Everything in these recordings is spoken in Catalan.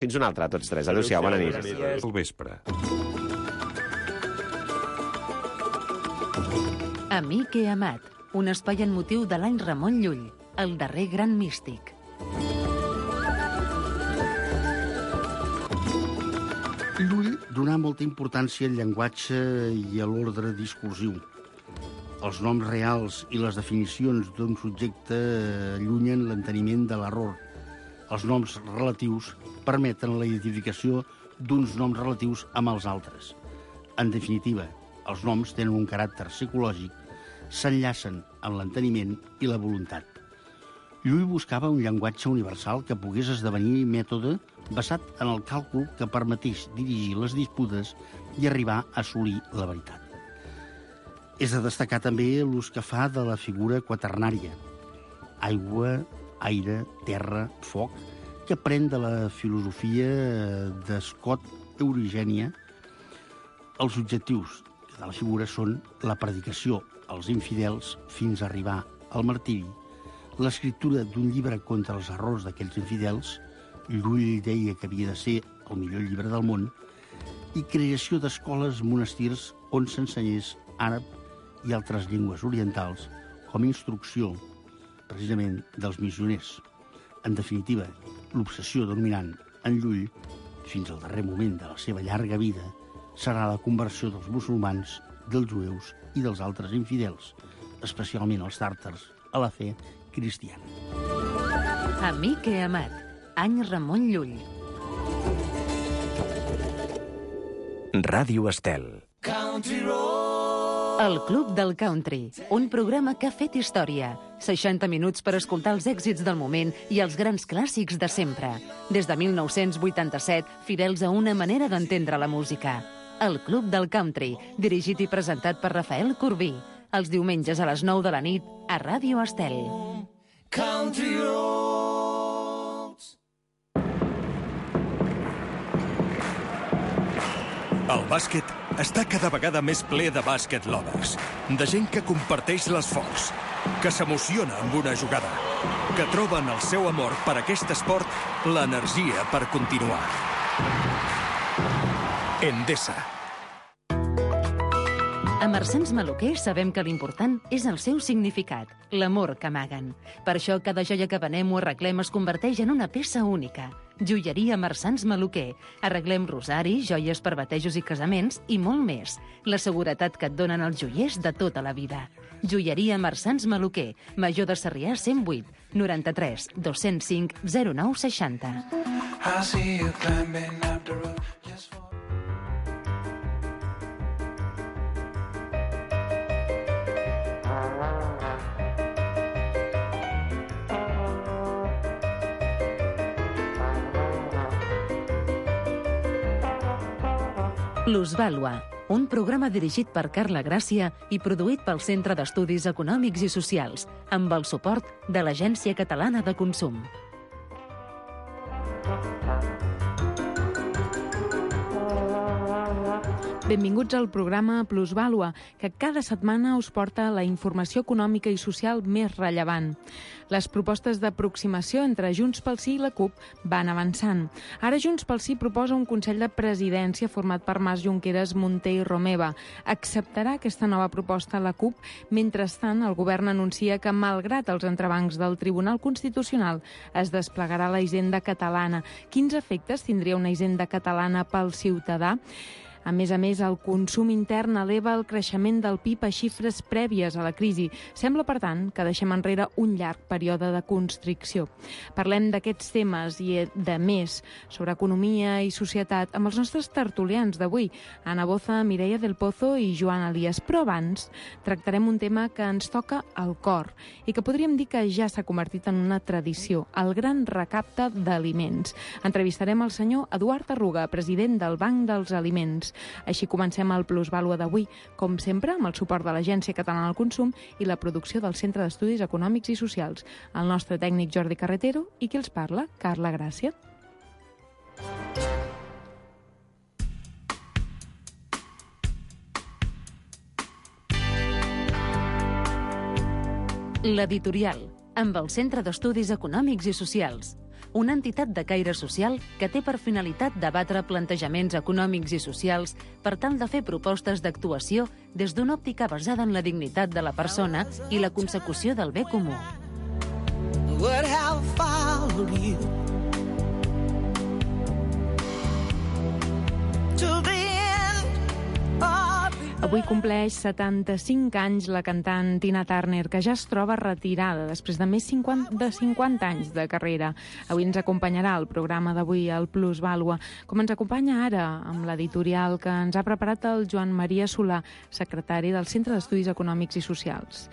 Fins una altra, tots tres. Adéu-siau, bona nit. Al vespre. Amic he amat, un espai en motiu de l'any Ramon Llull, el darrer gran místic. Llull donà molta importància al llenguatge i a l'ordre discursiu. Els noms reals i les definicions d'un subjecte allunyen l'enteniment de l'error. Els noms relatius permeten la identificació d'uns noms relatius amb els altres. En definitiva, els noms tenen un caràcter psicològic, s'enllacen amb l'enteniment i la voluntat. Llull buscava un llenguatge universal que pogués esdevenir mètode basat en el càlcul que permetés dirigir les disputes i arribar a assolir la veritat. És de destacar també l'ús que fa de la figura quaternària. Aigua, aire, terra, foc, que pren de la filosofia d'Scott Eurigènia. Els objectius de la figura són la predicació als infidels fins a arribar al martiri, l'escriptura d'un llibre contra els errors d'aquells infidels, Llull deia que havia de ser el millor llibre del món, i creació d'escoles, monestirs on s'ensenyés àrab i altres llengües orientals com a instrucció, precisament, dels missioners. En definitiva, l'obsessió dominant en Llull, fins al darrer moment de la seva llarga vida, serà la conversió dels musulmans, dels jueus i dels altres infidels, especialment els tàrtars, a la fe cristiana. Amic he amat, any Ramon Llull. Ràdio Estel. El Club del Country, un programa que ha fet història. 60 minuts per escoltar els èxits del moment i els grans clàssics de sempre. Des de 1987, fidels a una manera d'entendre la música. El Club del Country, dirigit i presentat per Rafael Corbí. Els diumenges a les 9 de la nit a Ràdio Estel. Country Roads. El bàsquet està cada vegada més ple de bàsquet lovers, de gent que comparteix l'esforç, que s'emociona amb una jugada, que troben el seu amor per aquest esport l'energia per continuar. Endesa. A Marsans Maluquer sabem que l'important és el seu significat, l'amor que amaguen. Per això cada joia que venem o arreglem es converteix en una peça única. Joieria Marsans Maluquer. Arreglem rosaris, joies per batejos i casaments i molt més. La seguretat que et donen els joiers de tota la vida. Joieria Marsans Maluquer. Major de Sarrià 108 93 205 0960. I see you climbing up the road just for... Plusvàlua, un programa dirigit per Carla Gràcia i produït pel Centre d'Estudis Econòmics i Socials, amb el suport de l'Agència Catalana de Consum. Benvinguts al programa Plusvàlua, que cada setmana us porta la informació econòmica i social més rellevant. Les propostes d'aproximació entre Junts pel Sí i la CUP van avançant. Ara Junts pel Sí proposa un Consell de Presidència format per Mas, Junqueras, Munté i Romeva. Acceptarà aquesta nova proposta la CUP? Mentrestant, el govern anuncia que, malgrat els entrebancs del Tribunal Constitucional, es desplegarà la Hisenda catalana. Quins efectes tindria una Hisenda catalana pel ciutadà? A més, el consum intern eleva el creixement del PIB a xifres prèvies a la crisi. Sembla, per tant, que deixem enrere un llarg període de constricció. Parlem d'aquests temes i de més sobre economia i societat amb els nostres tertulians d'avui, Ana Boza, Mireia del Pozo i Joan Elias. Però abans tractarem un tema que ens toca al cor i que podríem dir que ja s'ha convertit en una tradició, el gran recapte d'aliments. Entrevistarem el senyor Eduard Arruga, president del Banc dels Aliments. Així comencem el Plusvàlua d'avui, com sempre, amb el suport de l'Agència Catalana del Consum i la producció del Centre d'Estudis Econòmics i Socials. El nostre tècnic Jordi Carretero i qui els parla, Carla Gràcia. L'editorial, amb el Centre d'Estudis Econòmics i Socials. una entitat de caire social que té per finalitat debatre plantejaments econòmics i socials per tal de fer propostes d'actuació des d'una òptica basada en la dignitat de la persona i la consecució del bé comú. Would have followed you to the end of the... Avui compleix 75 anys la cantant Tina Turner, que ja es troba retirada després de més de 50 anys de carrera. Avui ens acompanyarà el programa d'avui, el Plusvàlua, com ens acompanya ara amb l'editorial que ens ha preparat el Joan Maria Solà, secretari del Centre d'Estudis Econòmics i Socials.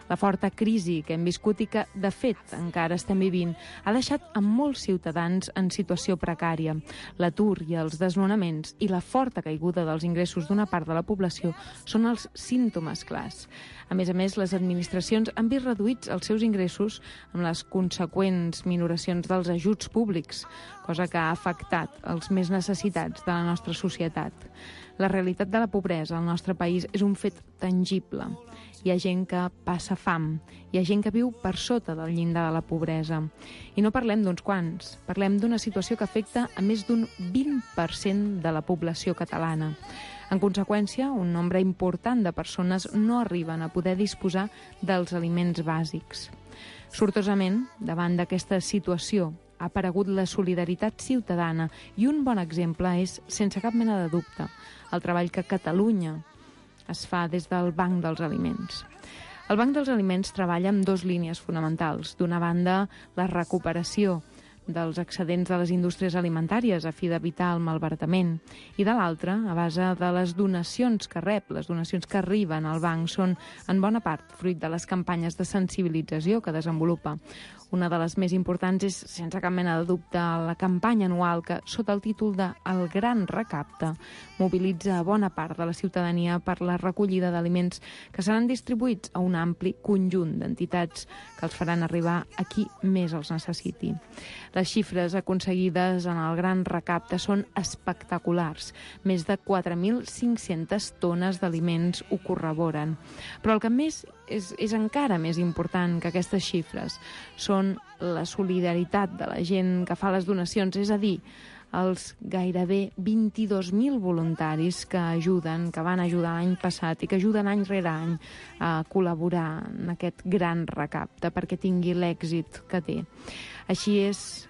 La forta crisi que hem viscut i que, de fet, encara estem vivint, ha deixat a molts ciutadans en situació precària. L'atur i els desnonaments i la forta caiguda dels ingressos d'una part de la població són els símptomes clars. A més, les administracions han vist reduïts els seus ingressos amb les conseqüents minoracions dels ajuts públics, cosa que ha afectat els més necessitats de la nostra societat. La realitat de la pobresa al nostre país és un fet tangible. Hi ha gent que passa fam, hi ha gent que viu per sota del llindar de la pobresa. I no parlem d'uns quants, parlem d'una situació que afecta a més d'un 20% de la població catalana. En conseqüència, un nombre important de persones no arriben a poder disposar dels aliments bàsics. Sortosament, davant d'aquesta situació, ha aparegut la solidaritat ciutadana i un bon exemple és, sense cap mena de dubte, el treball que a Catalunya es fa des del Banc dels Aliments. El Banc dels Aliments treballa amb dues línies fonamentals. D'una banda, la recuperació dels excedents de les indústries alimentàries a fi d'evitar el malbaratament, i de l'altra, a base de les donacions que rep, les donacions que arriben al banc són, en bona part, fruit de les campanyes de sensibilització que desenvolupa. Una de les més importants és, sense cap mena de dubte, la campanya anual que, sota el títol de El Gran Recapte, mobilitza a bona part de la ciutadania per la recollida d'aliments que seran distribuïts a un ampli conjunt d'entitats que els faran arribar a qui més els necessiti. Les xifres aconseguides en el Gran Recapte són espectaculars. Més de 4.500 tones d'aliments ho corroboren. Però el que més és encara més important que aquestes xifres són la solidaritat de la gent que fa les donacions, és a dir, els gairebé 22.000 voluntaris que ajuden, que van ajudar l'any passat i que ajuden any rere any a col·laborar en aquest gran recapte perquè tingui l'èxit que té. Així és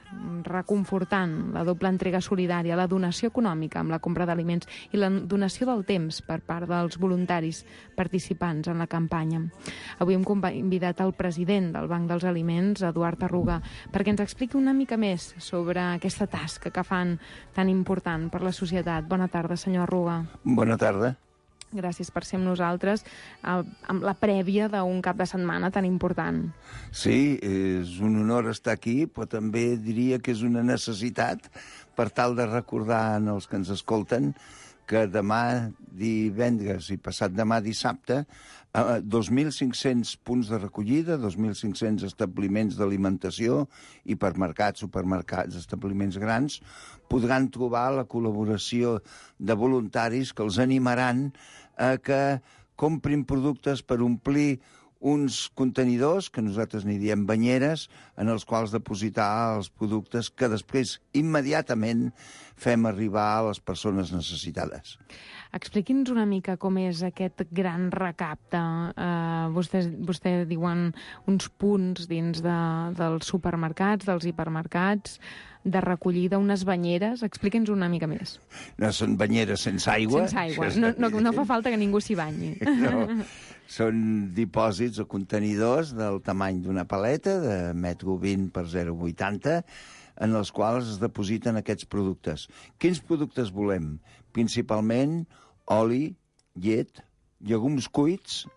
reconfortant la doble entrega solidària, la donació econòmica amb la compra d'aliments i la donació del temps per part dels voluntaris participants en la campanya. Avui hem convidat el president del Banc dels Aliments, Eduard Arruga, perquè ens expliqui una mica més sobre aquesta tasca que fan tan important per la societat. Bona tarda, senyor Arruga. Bona tarda. Gràcies per ser amb nosaltres amb la prèvia d'un cap de setmana tan important. Sí, és un honor estar aquí, però també diria que és una necessitat per tal de recordar als que ens escolten que demà divendres i passat demà dissabte 2.500 punts de recollida, 2.500 establiments d'alimentació, hipermercats, supermercats, establiments grans, podran trobar la col·laboració de voluntaris que els animaran a que comprin productes per omplir uns contenidors, que nosaltres n'hi diem banyeres, en els quals depositar els productes que després immediatament fem arribar a les persones necessitades. Expliqui'ns una mica com és aquest gran recapte. Vostè diuen uns punts dins dels supermercats, dels hipermercats, de recollida, unes banyeres. Expliqui'ns una mica més. No són banyeres sense aigua. Sense aigua. No fa falta que ningú s'hi banyi. No. Són dipòsits o contenidors del tamany d'una paleta, de 1,20 m per 0,80 m, en els quals es depositen aquests productes. Quins productes volem? Principalment oli, llet, llegums cuits,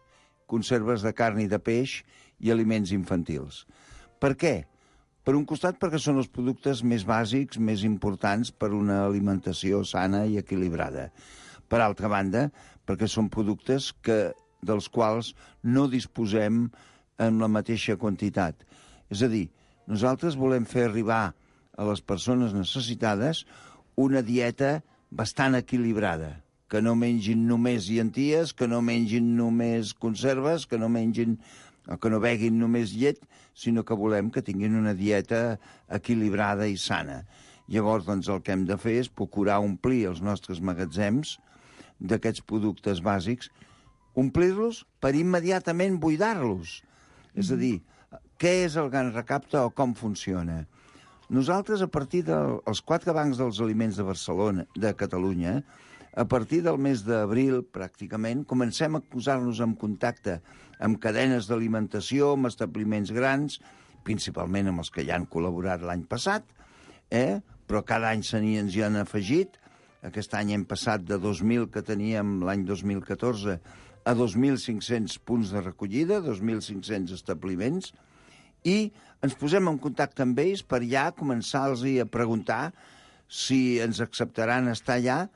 conserves de carn i de peix i aliments infantils. Per què? Per un costat, perquè són els productes més bàsics, més importants per una alimentació sana i equilibrada. Per altra banda, perquè són productes dels quals no disposem en la mateixa quantitat. És a dir, nosaltres volem fer arribar a les persones necessitades una dieta bastant equilibrada, que no mengin només llenties, que no mengin només conserves, que no mengin o que no beguin només llet, sinó que volem que tinguin una dieta equilibrada i sana. Llavors, doncs, el que hem de fer és procurar omplir els nostres magatzems d'aquests productes bàsics, omplir-los per immediatament buidar-los. És a dir, què és el Gran Recapte o com funciona? Nosaltres, a partir dels 4 bancs dels aliments de Barcelona, de Catalunya, a partir del mes d'abril, pràcticament, comencem a posar-nos en contacte amb cadenes d'alimentació, amb establiments grans, principalment amb els que ja han col·laborat l'any passat, però cada any ens hi han afegit. Aquest any hem passat de 2.000 que teníem l'any 2014 a 2.500 punts de recollida, 2.500 establiments, i ens posem en contacte amb ells per ja començar-los a preguntar si ens acceptaran estar allà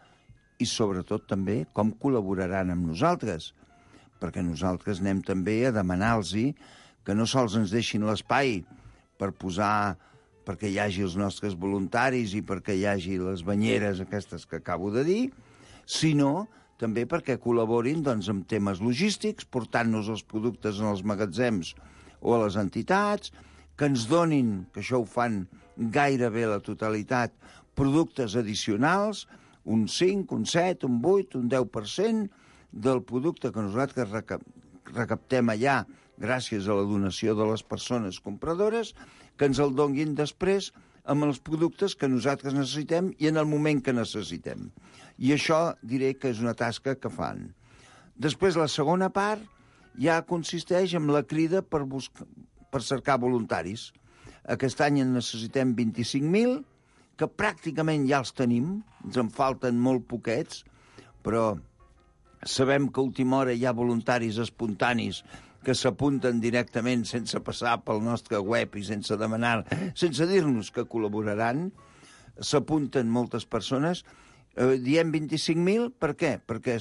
i, sobretot, també com col·laboraran amb nosaltres, perquè nosaltres anem també a demanar-los que no sols ens deixin l'espai per posar, perquè hi hagi els nostres voluntaris i perquè hi hagi les banyeres aquestes que acabo de dir, sinó també perquè col·laborin doncs, amb temes logístics, portant-nos els productes en els magatzems o a les entitats, que ens donin, que això ho fan gairebé la totalitat, productes addicionals, un 5, un 7, un 8, un 10% del producte que nosaltres recaptem allà gràcies a la donació de les persones compradores, que ens el donguin després amb els productes que nosaltres necessitem i en el moment que necessitem. I això diré que és una tasca que fan. Després, la segona part ja consisteix en la crida per cercar voluntaris. Aquest any en necessitem 25.000, que pràcticament ja els tenim, ens en falten molt poquets, però sabem que a última hora hi ha voluntaris espontanis que s'apunten directament sense passar pel nostre web i sense demanar, sense dir-nos que col·laboraran. S'apunten moltes persones. Diem 25.000, per què? Perquè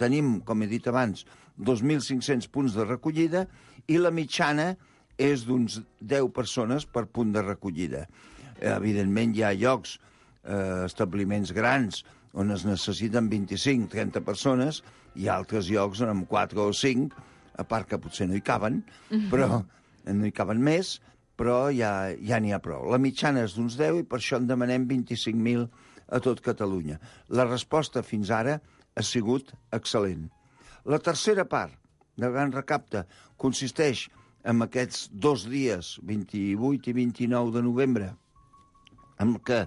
tenim, com he dit abans, 2.500 punts de recollida i la mitjana és d'uns 10 persones per punt de recollida. Evidentment, hi ha llocs, establiments grans, on es necessiten 25-30 persones, i altres llocs on amb 4 o 5, a part que potser no hi caben, però no hi caben més, però ja n'hi ha prou. La mitjana és d'uns 10 i per això en demanem 25.000 a tot Catalunya. La resposta fins ara ha sigut excel·lent. La tercera part del Gran Recapte consisteix en aquests 2 dies, 28 i 29 de novembre, en què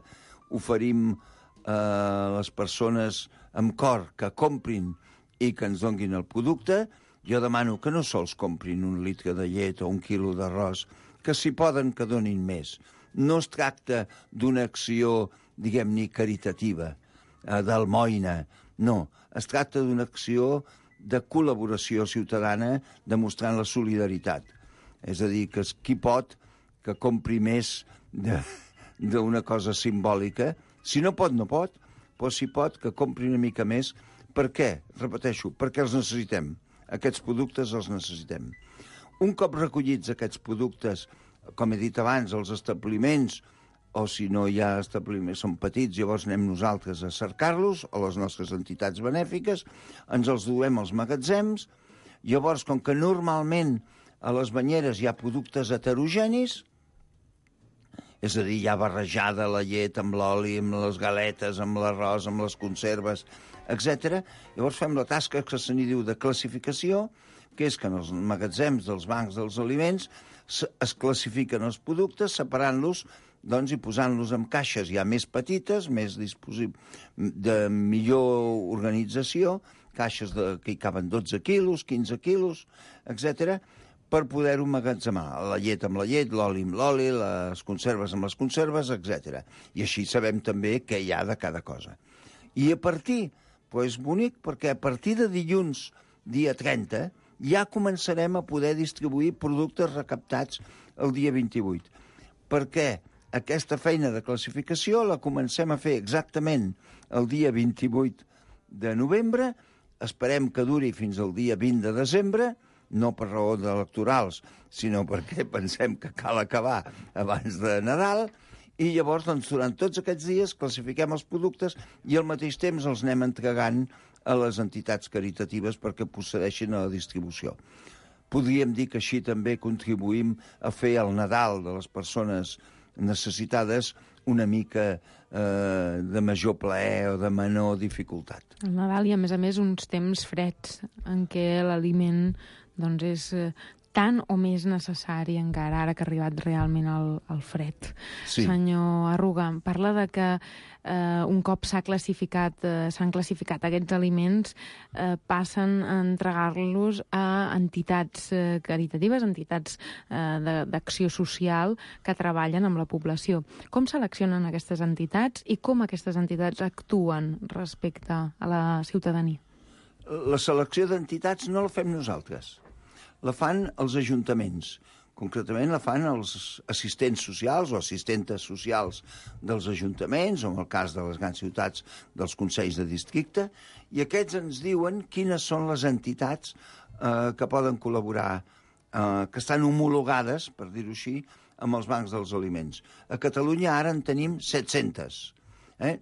oferim a les persones amb cor que comprin i que ens donguin el producte. Jo demano que no sols comprin 1 litre de llet o 1 quilo d'arròs, que si poden que donin més. No es tracta d'una acció, diguem-ne, caritativa, d'almoina, no. Es tracta d'una acció de col·laboració ciutadana demostrant la solidaritat. És a dir, que qui pot que compri més d'una cosa simbòlica. Si no pot, no pot, però si pot, que compri una mica més. Per què? Repeteixo, perquè els necessitem. Aquests productes els necessitem. Un cop recollits aquests productes, com he dit abans, els establiments, o si no hi ha establiments, són petits, llavors anem nosaltres a cercar-los, o les nostres entitats benèfiques, ens els duem als magatzems. Llavors, com que normalment a les banyeres hi ha productes heterogenis, és a dir, hi ha barrejada la llet amb l'oli, amb les galetes, amb l'arròs, amb les conserves, etc. Llavors fem la tasca que se n'hi diu de classificació, que és que en els magatzems dels bancs dels aliments es classifiquen els productes separant-los doncs, i posant-los en caixes ja més petites, més de millor organització, caixes que hi caben 12 quilos, 15 quilos, etc., per poder-ho emmagatzemar. La llet amb la llet, l'oli amb l'oli, les conserves amb les conserves, etc. I així sabem també què hi ha de cada cosa. I a partir, és bonic, perquè a partir de dilluns, dia 30, ja començarem a poder distribuir productes recaptats el dia 28. Perquè aquesta feina de classificació la comencem a fer exactament el dia 28 de novembre, esperem que duri fins al dia 20 de desembre, no per raó electorals, sinó perquè pensem que cal acabar abans de Nadal, i llavors, doncs, durant tots aquests dies classifiquem els productes i al mateix temps els anem entregant a les entitats caritatives perquè procedeixin a la distribució. Podríem dir que així també contribuïm a fer el Nadal de les persones necessitades una mica de major plaer o de menor dificultat. El Nadal i, a més, uns temps freds en què l'aliment doncs, és tan o més necessari encara, ara que ha arribat realment el fred. Sí. Senyor Arruga, parla de que un cop s'han classificat aquests aliments, passen a entregar-los a entitats caritatives, entitats d'acció social que treballen amb la població. Com seleccionen aquestes entitats i com aquestes entitats actuen respecte a la ciutadania? La selecció d'entitats no la fem nosaltres. La fan els ajuntaments. Concretament la fan els assistents socials o assistentes socials dels ajuntaments, o en el cas de les grans ciutats dels consells de districte, i aquests ens diuen quines són les entitats que poden col·laborar, que estan homologades, per dir-ho així, amb els bancs dels aliments. A Catalunya ara en tenim 700.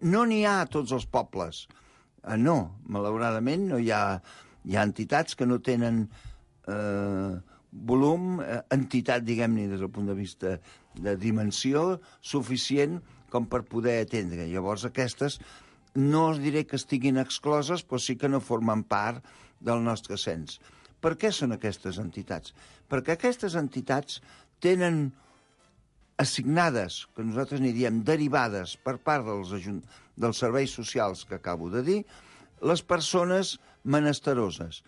No n'hi ha a tots els pobles. No, malauradament no hi ha entitats que no tenen volum, entitat, diguem-ne, des del punt de vista de dimensió suficient com per poder atendre. Llavors aquestes no us diré que estiguin excloses, però sí que no formen part del nostre cens. Per què són aquestes entitats? Perquè aquestes entitats tenen assignades, que nosaltres n'hi diem derivades per part dels serveis socials que acabo de dir, les persones menesteroses.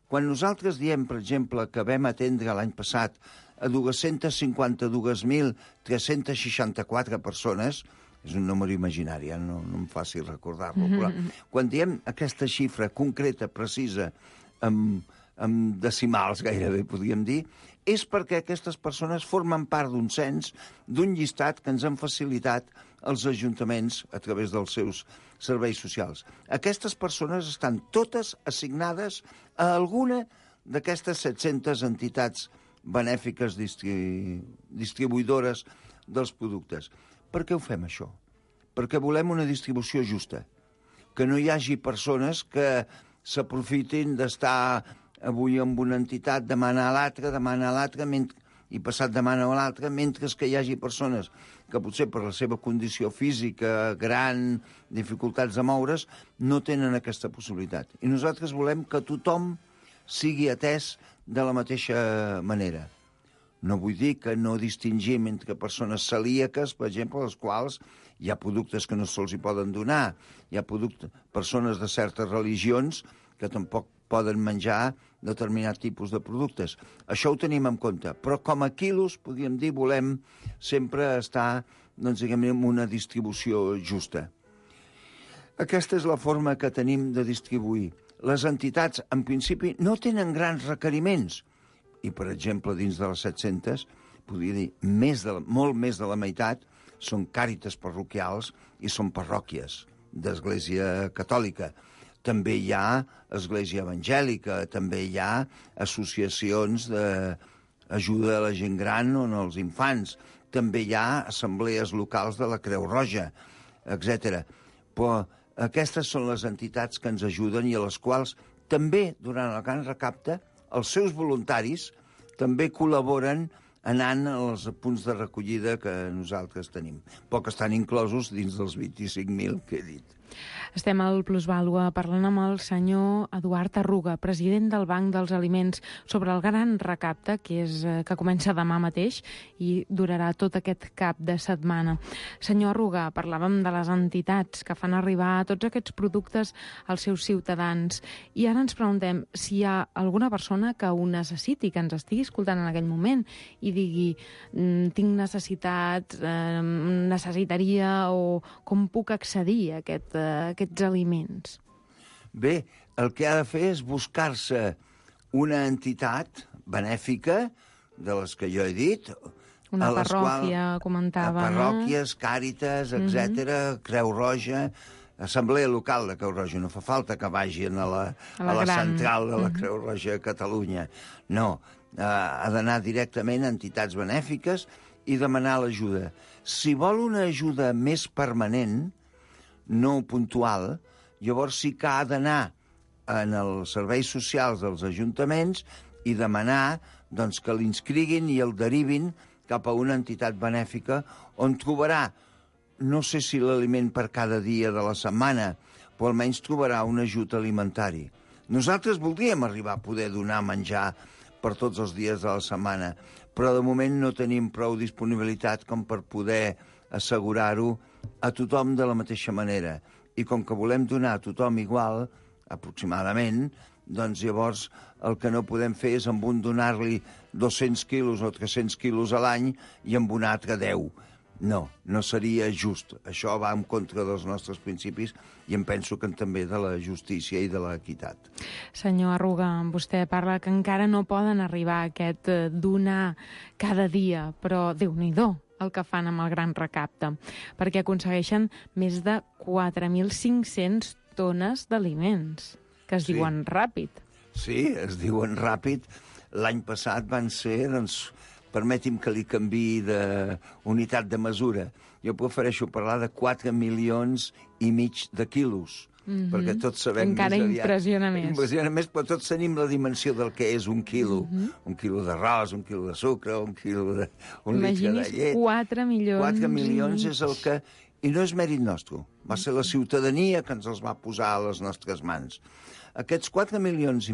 Quan nosaltres diem, per exemple, que vam atendre l'any passat a 252.364 persones, és un número imaginari, no em faci recordar-lo, però quan diem aquesta xifra concreta, precisa, amb decimals gairebé, podríem dir, és perquè aquestes persones formen part d'un cens, d'un llistat que ens han facilitat els ajuntaments a través dels seus serveis socials. Aquestes persones estan totes assignades a alguna d'aquestes 700 entitats benèfiques distribuïdores dels productes. Per què ho fem, això? Perquè volem una distribució justa, que no hi hagi persones que s'aprofitin d'estar avui amb una entitat, demana a l'altra, i passat demana a l'altra, mentre que hi hagi persones que potser per la seva condició física, gran, dificultats de moure's, no tenen aquesta possibilitat. I nosaltres volem que tothom sigui atès de la mateixa manera. No vull dir que no distingim entre persones celíaques, per exemple, a les quals hi ha productes que no se'ls hi poden donar, hi ha persones de certes religions que tampoc poden menjar determinat tipus de productes. Això ho tenim en compte, però com a quilos, podríem dir, volem sempre estar, doncs, diguem-ne, en una distribució justa. Aquesta és la forma que tenim de distribuir. Les entitats, en principi, no tenen grans requeriments, i, per exemple, dins de les 700, podria dir, molt més de la meitat són càritas parroquials i són parròquies d'Església Catòlica. També hi ha església evangèlica, també hi ha associacions d'ajuda a la gent gran o als infants, també hi ha assemblees locals de la Creu Roja, etc. Però aquestes són les entitats que ens ajuden i a les quals també, durant el Gran Recapte, els seus voluntaris també col·laboren anant als punts de recollida que nosaltres tenim, però que estan inclosos dins dels 25.000 que he dit. Estem al Plusvàlua parlant amb el senyor Eduard Arruga, president del Banc dels Aliments, sobre el Gran Recapte, que comença demà mateix i durarà tot aquest cap de setmana. Senyor Arruga, parlàvem de les entitats que fan arribar tots aquests productes als seus ciutadans i ara ens preguntem si hi ha alguna persona que ho necessiti, que ens estigui escoltant en aquell moment i digui tinc necessitats, necessitaria o com puc accedir a aquests aliments? Bé, el que ha de fer és buscar-se una entitat benèfica, de les que jo he dit. Una parròquia, comentava, no? Parròquies, càritas, etc., Creu Roja, Assemblea Local de Creu Roja. No fa falta que vagin a la central de la Creu Roja a Catalunya. No, ha d'anar directament a entitats benèfiques i demanar l'ajuda. Si vol una ajuda més permanent, no puntual, llavors sí que ha d'anar en els serveis socials dels ajuntaments i demanar doncs, que l'inscriguin i el derivin cap a una entitat benèfica on trobarà, no sé si l'aliment per cada dia de la setmana, però almenys trobarà un ajut alimentari. Nosaltres voldríem arribar a poder donar menjar per tots els dies de la setmana, però de moment no tenim prou disponibilitat com per poder assegurar-ho a tothom de la mateixa manera. I com que volem donar a tothom igual, aproximadament, doncs llavors el que no podem fer és amb un donar-li 200 quilos o 300 quilos a l'any i amb un altre 10. No, no seria just. Això va en contra dels nostres principis i em penso que també de la justícia i de l'equitat. Senyor Arruga, vostè parla que encara no poden arribar a aquest donar cada dia, però Déu-n'hi-do el que fan amb el gran recapte, perquè aconsegueixen més de 4.500 tones d'aliments, que es diuen ràpid. Sí, es diuen ràpid. L'any passat van ser, doncs, permeti'm que li canviï d'unitat de mesura. Jo prefereixo parlar de 4,5 milions de quilos, perquè tots sabem encara més aviat. impressiona més. Impressiona més, però tots tenim la dimensió del que és un quilo. Un quilo d'arròs, un quilo de sucre, un litre de llet. 4 milions. 4 milions és el que... I no és mèrit nostre. Va ser la ciutadania que ens els va posar a les nostres mans. Aquests 4,5 milions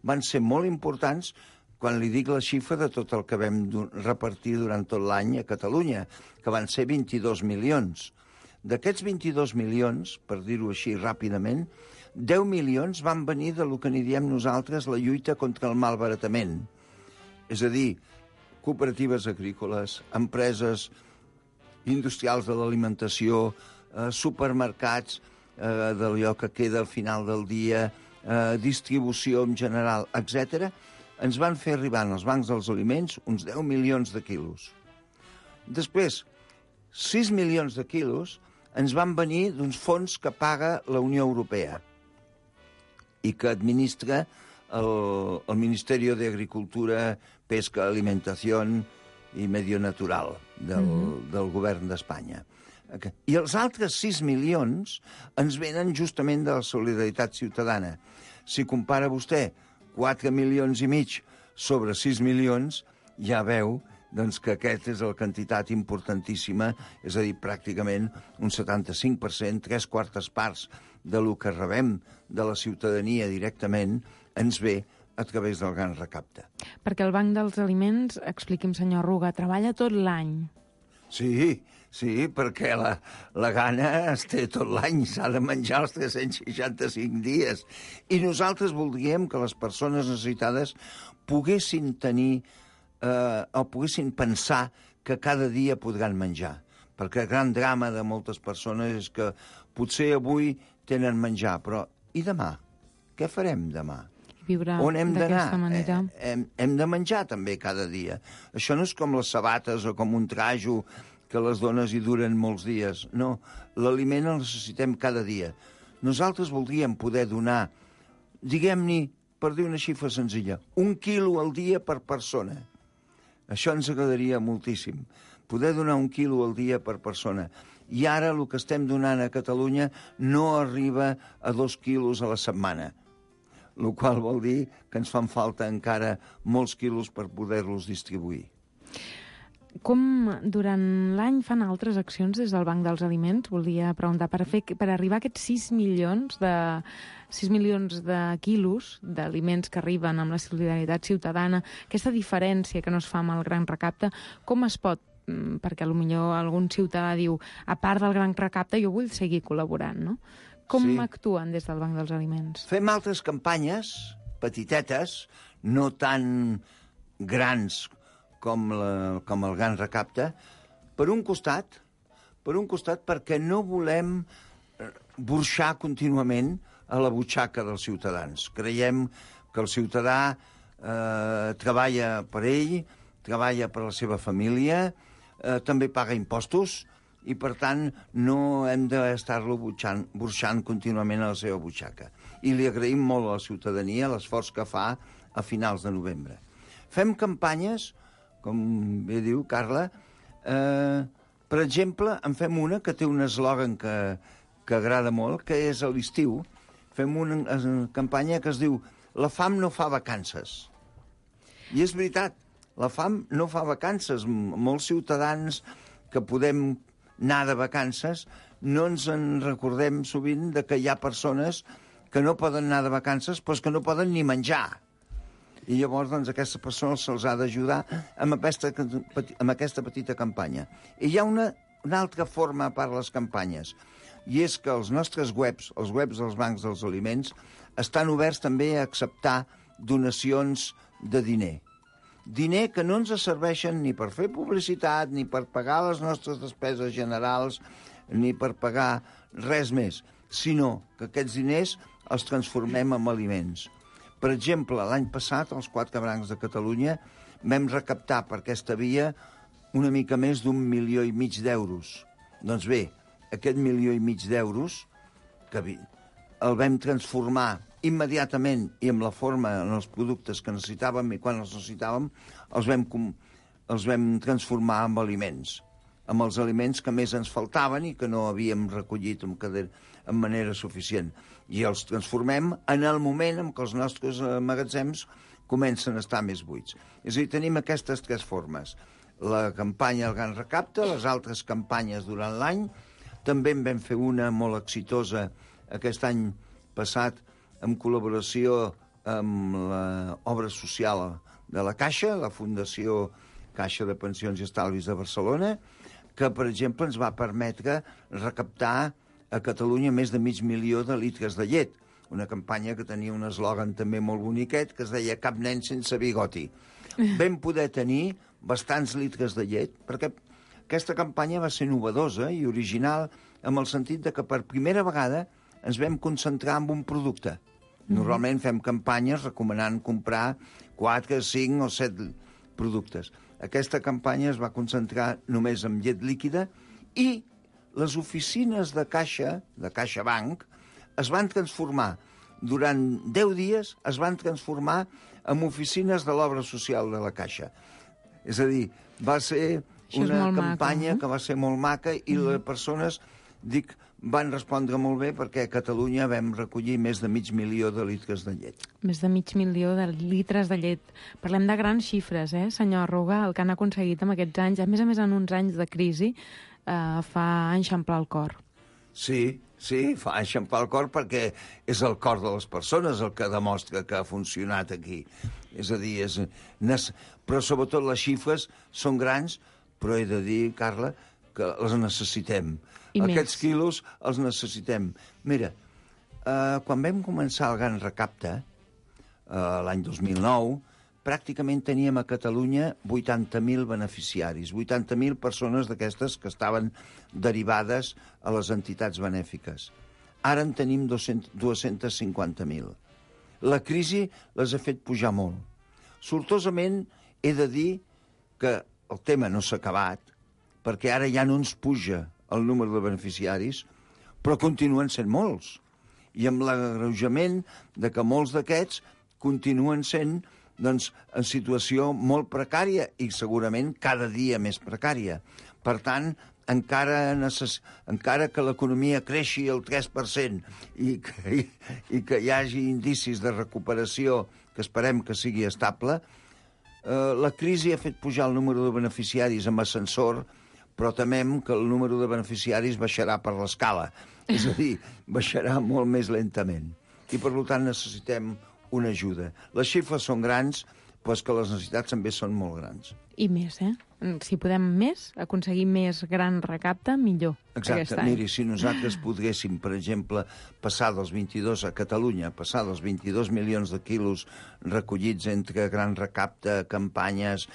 van ser molt importants quan li dic la xifra de tot el que vam repartir durant tot l'any a Catalunya, que van ser 22 milions. D'aquests 22 milions, per dir-ho així ràpidament, 10 milions van venir de lo que n'hi diem nosaltres la lluita contra el malbaratament. És a dir, cooperatives agrícoles, empreses industrials de l'alimentació, supermercats d'allò que queda al final del dia, distribució en general, etc., ens van fer arribar als bancs dels aliments uns 10 milions de quilos. Després, 6 milions de quilos ens van venir d'uns fons que paga la Unió Europea i que administra el Ministeri d'Agricultura, Pesca, Alimentació i Medio Natural del govern d'Espanya. I els altres 6 milions ens venen justament de la solidaritat ciutadana. Si compara vostè 4,5 milions sobre 6 milions, ja veu doncs, que aquesta és la quantitat importantíssima, és a dir, pràcticament un 75%, 3/4 parts de lo que rebem de la ciutadania directament, ens ve a través del gran recapte. Perquè el Banc dels Aliments, expliqui'm, senyor Arruga, treballa tot l'any. Sí, perquè la gana es té tot l'any, s'ha de menjar els 365 dies. I nosaltres voldríem que les persones necessitades poguessin tenir o poguessin pensar que cada dia podran menjar. Perquè el gran drama de moltes persones és que potser avui tenen menjar, però i demà? Què farem demà? Viure on hem d'anar? Manera. Hem de menjar també cada dia. Això no és com les sabates o com un trajo que les dones hi duren molts dies. No, l'aliment el necessitem cada dia. Nosaltres voldríem poder donar, diguem-ne, per dir una xifra senzilla, 1 quilo al dia per persona. Això ens agradaria moltíssim, poder donar 1 quilo al dia per persona. I ara el que estem donant a Catalunya no arriba a 2 quilos a la setmana, el qual vol dir que ens fan falta encara molts quilos per poder-los distribuir. Com durant l'any fan altres accions des del Banc dels Aliments? Volia preguntar, per arribar a aquests 6 milions de quilos d'aliments que arriben amb la solidaritat ciutadana, aquesta diferència que no es fa amb el gran recapte, com es pot, perquè potser algun ciutadà diu, a part del gran recapte jo vull seguir col·laborant, no? Com actuen des del Banc dels Aliments? Fem altres campanyes, petitetes, no tan grans com el gran recapte, per un costat perquè no volem burxar contínuament a la butxaca dels ciutadans. Creiem que el ciutadà treballa per ell, treballa per la seva família, també paga impostos, i per tant no hem d'estar-lo burxant contínuament a la seva butxaca. I li agraïm molt a la ciutadania l'esforç que fa a finals de novembre. Fem campanyes, com bé diu Carla, per exemple, en fem una que té un eslògan que agrada molt, que és a l'estiu. Fem una campanya que es diu «La fam no fa vacances». I és veritat, la fam no fa vacances. Molts ciutadans que podem anar de vacances no ens en recordem sovint de que hi ha persones que no poden anar de vacances però que no poden ni menjar. I llavors, doncs, a aquestes persones se'ls ha d'ajudar amb aquesta petita campanya. I hi ha una altra forma a part de les campanyes, i és que els nostres webs, els webs dels bancs dels aliments, estan oberts també a acceptar donacions de diner. Diner que no ens serveixen ni per fer publicitat, ni per pagar les nostres despeses generals, ni per pagar res més, sinó que aquests diners els transformem en aliments. Per exemple, l'any passat, els 4 bancs de Catalunya, vam recaptar per aquesta via una mica més d'1,5 milió d'euros. Doncs bé, aquest 1,5 milió d'euros, que el vam transformar immediatament i amb la forma en els productes que necessitàvem, i quan els necessitàvem els vam transformar en aliments, amb els aliments que més ens faltaven i que no havíem recollit en manera suficient. I els transformem en el moment en què els nostres magatzems comencen a estar més buits. És a dir, tenim aquestes 3 formes. La campanya El Gran Recapte, les altres campanyes durant l'any. També en vam fer una molt exitosa aquest any passat en col·laboració amb l'obra social de la Caixa, la Fundació Caixa de Pensions i Estalvis de Barcelona, que, per exemple, ens va permetre recaptar a Catalunya més de 500.000 de litres de llet. Una campanya que tenia un eslògan també molt boniquet que es deia Cap nen sense bigoti. Vam poder tenir bastants litres de llet perquè aquesta campanya va ser novedosa i original en el sentit de que per primera vegada ens vam concentrar en un producte. Normalment fem campanyes recomanant comprar 4, 5 o 7 productes. Aquesta campanya es va concentrar només en llet líquida i les oficines de CaixaBank, es van transformar, durant 10 dies, es van transformar en oficines de l'obra social de la Caixa. És a dir, va ser una campanya que va ser molt maca i les persones, van respondre molt bé perquè a Catalunya vam recollir més de 500.000 de litres de llet. Més de 500.000 de litres de llet. Parlem de grans xifres, senyor Arruga, el que han aconseguit en aquests anys, a més en uns anys de crisi, fa enxamplar el cor. Sí, fa enxamplar el cor perquè és el cor de les persones el que demostra que ha funcionat aquí. És a dir, però sobretot les xifres són grans, però he de dir, Carla, que les necessitem. Aquests quilos els necessitem. Mira, quan vam començar el Gran Recapte, l'any 2009, pràcticament teníem a Catalunya 80.000 beneficiaris, 80.000 persones d'aquestes que estaven derivades a les entitats benèfiques. Ara en tenim 250.000. La crisi les ha fet pujar molt. Sortosament he de dir que el tema no s'ha acabat, perquè ara ja no ens puja el número de beneficiaris, però continuen sent molts. I amb l'agreujament de que molts d'aquests continuen sent en situació molt precària i segurament cada dia més precària. Per tant, encara que l'economia creixi el 3% i que hi hagi indicis de recuperació que esperem que sigui estable, la crisi ha fet pujar el número de beneficiaris amb ascensor, però temem que el número de beneficiaris baixarà per l'escala. És a dir, baixarà molt més lentament. I, per tant, necessitem una ajuda. Les xifres són grans, però és que les necessitats també són molt grans. I més, Si podem aconseguir més gran recapte, millor. Exacte. Miri, si nosaltres poguéssim, per exemple, passar dels 22 a Catalunya, passar dels 22 milions de quilos recollits entre gran recapte, campanyes,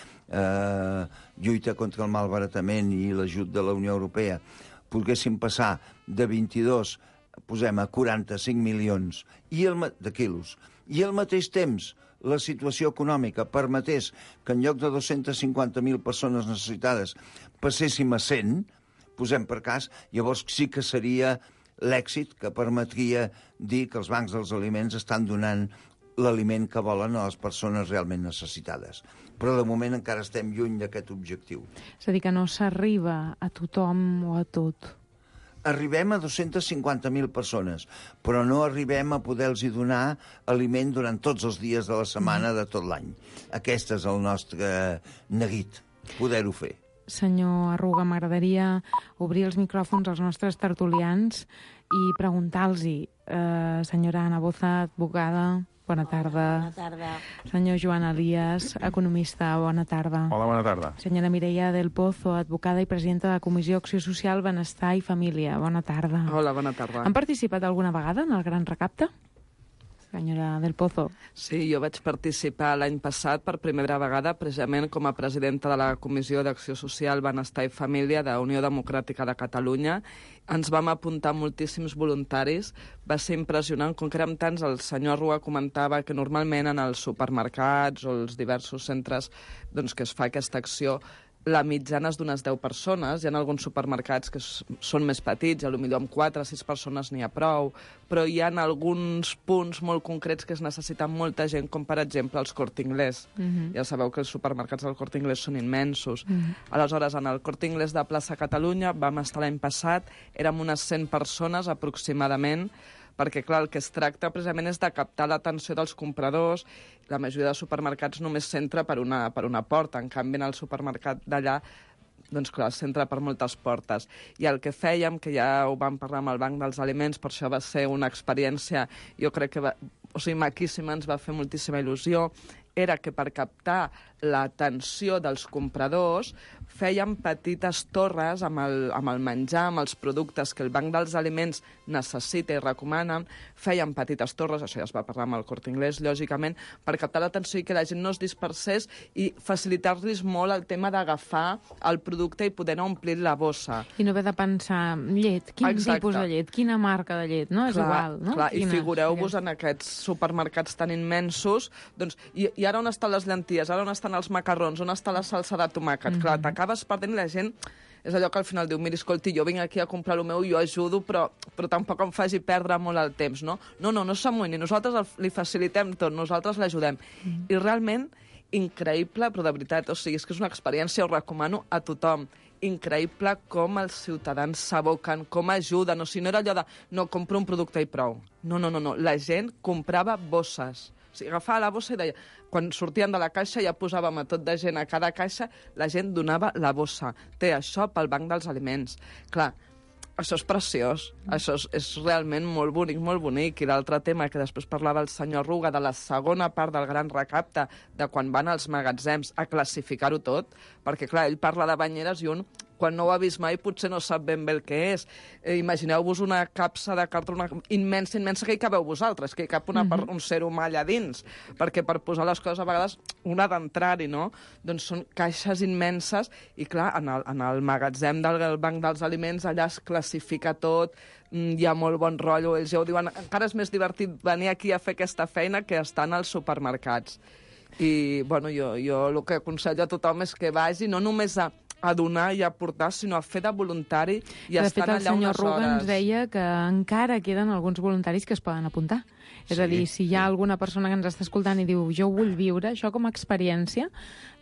lluita contra el malbaratament i l'ajut de la Unió Europea, poguéssim passar de 22, posem a 45 milions de quilos, i al mateix temps la situació econòmica permetés que en lloc de 250.000 persones necessitades passéssim a 100, posem per cas, llavors sí que seria l'èxit que permetria dir que els bancs dels aliments estan donant l'aliment que volen a les persones realment necessitades. Però de moment encara estem lluny d'aquest objectiu. És a dir, que no s'arriba a tothom o a tot. arribem a 250.000 persones, però no arribem a poder-los donar aliment durant tots els dies de la setmana de tot l'any. Aquest és el nostre neguit, poder-ho fer. Senyor Arruga, m'agradaria obrir els micròfons als nostres tertulians i preguntar-los, senyora Ana Boza, advocada, bona tarda. Bona tarda. Senyor Joan Elias, economista, bona tarda. Hola, bona tarda. Senyora Mireia del Pozo, advocada i presidenta de la Comissió Acció Social, Benestar i Família, bona tarda. Hola, bona tarda. Han participat alguna vegada en el Gran Recapte? Senyora del Pozo. Sí, jo vaig participar l'any passat per primera vegada precisament com a presidenta de la Comissió d'Acció Social, Benestar i Família de Unió Democràtica de Catalunya. Ens vam apuntar moltíssims voluntaris. Va ser impressionant, com que érem tants, el senyor Arruga comentava que normalment en els supermercats o els diversos centres doncs, que es fa aquesta acció, la mitjana és d'unes 10 persones. Hi ha alguns supermercats que són més petits, potser amb 4 o 6 persones n'hi ha prou, però hi ha alguns punts molt concrets que es necessiten molta gent, com per exemple els Corte Inglés. Ja sabeu que els supermercats del Corte Inglés són immensos. Aleshores, en el Corte Inglés de Plaça Catalunya vam estar l'any passat, érem unes 100 persones aproximadament, perquè, clar, el que es tracta precisament és de captar l'atenció dels compradors. La majoria de supermercats només s'entra per una porta, en canvi en el supermercat d'allà doncs clar, s'entra per moltes portes. I el que fèiem, que ja ho vam parlar amb el Banc dels Aliments, per això va ser una experiència, jo crec que maquíssima, ens va fer moltíssima il·lusió, era que per captar l'atenció dels compradors fèiem petites torres amb el menjar, amb els productes que el Banc dels Aliments necessita i recomanen, fèiem petites torres, això ja es va parlar amb el Corte Inglés, lògicament, per captar l'atenció i que la gent no es dispersés i facilitar-los molt el tema d'agafar el producte i poder omplir la bossa. I no haver de pensar, llet, quin tipus de llet, quina marca de llet, no? És igual, no? Clar, i figureu-vos en aquests supermercats tan immensos, doncs, i ara on estan les llenties, ara on estan els macarrons, on està la salsa de tomàquet? Clar, t'acabes perdent i la gent és allò que al final diu, mira, escolti, jo vinc aquí a comprar el meu, jo ajudo, però tampoc em faci perdre molt el temps, no? No s'amoïni, nosaltres li facilitem tot, nosaltres l'ajudem. I realment, increïble, però de veritat, o sigui, és que és una experiència, ho recomano a tothom, increïble com els ciutadans s'aboquen, com ajuden, o sigui, no era allò de, no, compro un producte i prou. No, la gent comprava bosses. O sigui, agafava la bossa i deia... Quan sortien de la caixa ja posàvem a tot de gent a cada caixa, la gent donava la bossa. Té això pel Banc dels Aliments. Clar, això és preciós, això és realment molt bonic. I l'altre tema que després parlava el senyor Arruga, de la segona part del Gran Recapte, de quan van als magatzems a classificar-ho tot, perquè, clar, ell parla de banyeres i un, quan no ho ha vist mai, potser no sap ben bé el que és. Imagineu-vos una capsa de cartró immensa que hi cabeu vosaltres, que hi cap un ser humà allà dins, perquè per posar les coses a vegades un ha d'entrar-hi, no? Doncs són caixes immenses i, clar, en el magatzem del Banc dels Aliments allà es classifica tot, hi ha molt bon rotllo, ells ja ho diuen, encara és més divertit venir aquí a fer aquesta feina que estar als supermercats. I, bueno, jo el que aconsello a tothom és que vagi no només a donar i a aportar, sinó a fer de voluntari i estar allà unes hores. De fet, el senyor Arruga ens deia que encara queden alguns voluntaris que es poden apuntar. És a dir, si hi ha alguna persona que ens està escoltant i diu jo vull viure això com a experiència,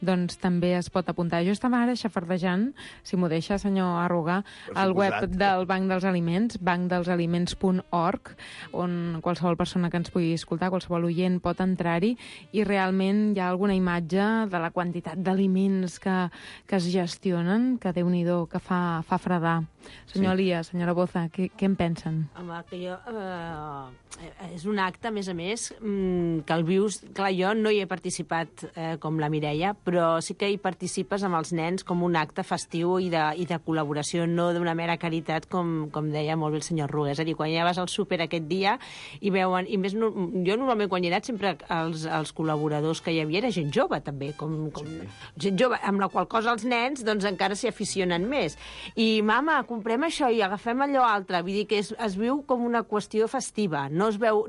doncs també es pot apuntar. Jo estava ara xafardejant, si m'ho deixa, senyor Arruga, al web del Banc dels Aliments, bancdelsaliments.org, on qualsevol persona que ens pugui escoltar, qualsevol oient pot entrar-hi, i realment hi ha alguna imatge de la quantitat d'aliments que es gestionen, que Déu-n'hi-do, que fa fredar. Senyor Elias, senyora Boza, què en pensen? Home, que jo... és un acte, a més, que el vius... Clar, jo no hi he participat com la Mireia, però sí que hi participes amb els nens com un acte festiu i de col·laboració, no d'una mera caritat, com deia molt bé el senyor Arruga. És a dir, quan ja vas al súper aquest dia i veuen... I més, jo normalment quan hi he anat sempre els col·laboradors que hi havia era gent jove, també, gent jove, amb la qual cosa els nens doncs encara s'hi aficionen més. I, mama, comprem això i agafem allò altre. Vull dir que es viu com una qüestió festiva. No es veu...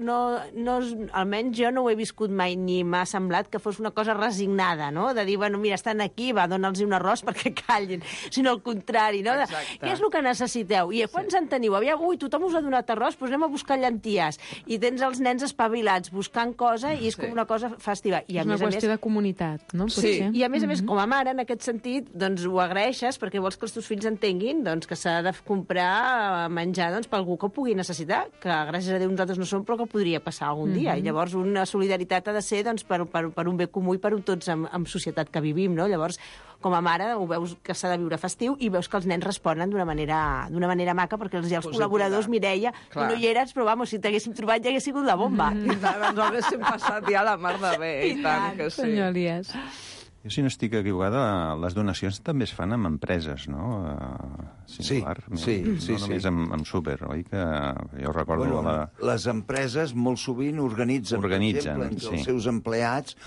almenys jo no ho he viscut mai, ni m'ha semblat que fos una cosa resignada, no? De dir, bueno, mira, estan aquí, va, dona'ls un arròs perquè callin. Sinó al contrari, no? Què és el que necessiteu? I quants en teniu? Ui, tothom us ha donat arròs, doncs anem a buscar llenties. I tens els nens espavilats buscant cosa i és com una cosa festiva. I és una qüestió de comunitat, no? Sí, i a més, com a mare, en aquest sentit, doncs ho ho agraeixes perquè vols que els teus fills entenguin doncs, que s'ha de comprar menjar doncs, per algú que ho pugui necessitar, que gràcies a Déu nosaltres no som, però que podria passar algun dia. I llavors una solidaritat ha de ser doncs, per un bé comú i per un tots en societat que vivim, no? Llavors, com a mare, ho veus que s'ha de viure festiu i veus que els nens responen d'una manera maca, perquè els col·laboradors, Mireia, tu no hi eres, però vamos, si t'haguéssim trobat ja hagués sigut la bomba. I tant, ens ho haguéssim passat ja a la mar de bé, i tant que sí. Senyor Elias. Jo, si no estic equivocada, les donacions també es fan amb empreses, no? Similar, sí. No només amb súper, oi? Que jo recordo... Les empreses molt sovint organitzen per exemple, entre els seus empleats,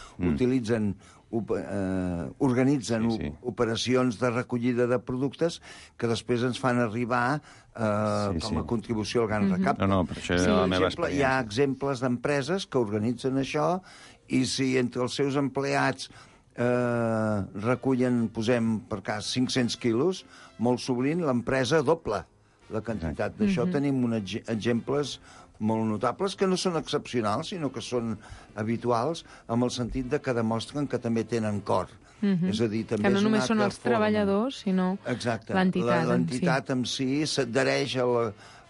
organitzen operacions de recollida de productes que després ens fan arribar com a contribució al Gran Recapte. Per això és la meva experiència. Hi ha exemples d'empreses que organitzen això i si entre els seus empleats recullen, posem per cas 500 quilos, molt sovint l'empresa dobla la quantitat. D'això tenim exemples molt notables que no són excepcionals, sinó que són habituals, amb el sentit de que demostren que també tenen cor. És a dir, també que no només són els treballadors, sinó l'entitat. L'entitat en si s'adhereix a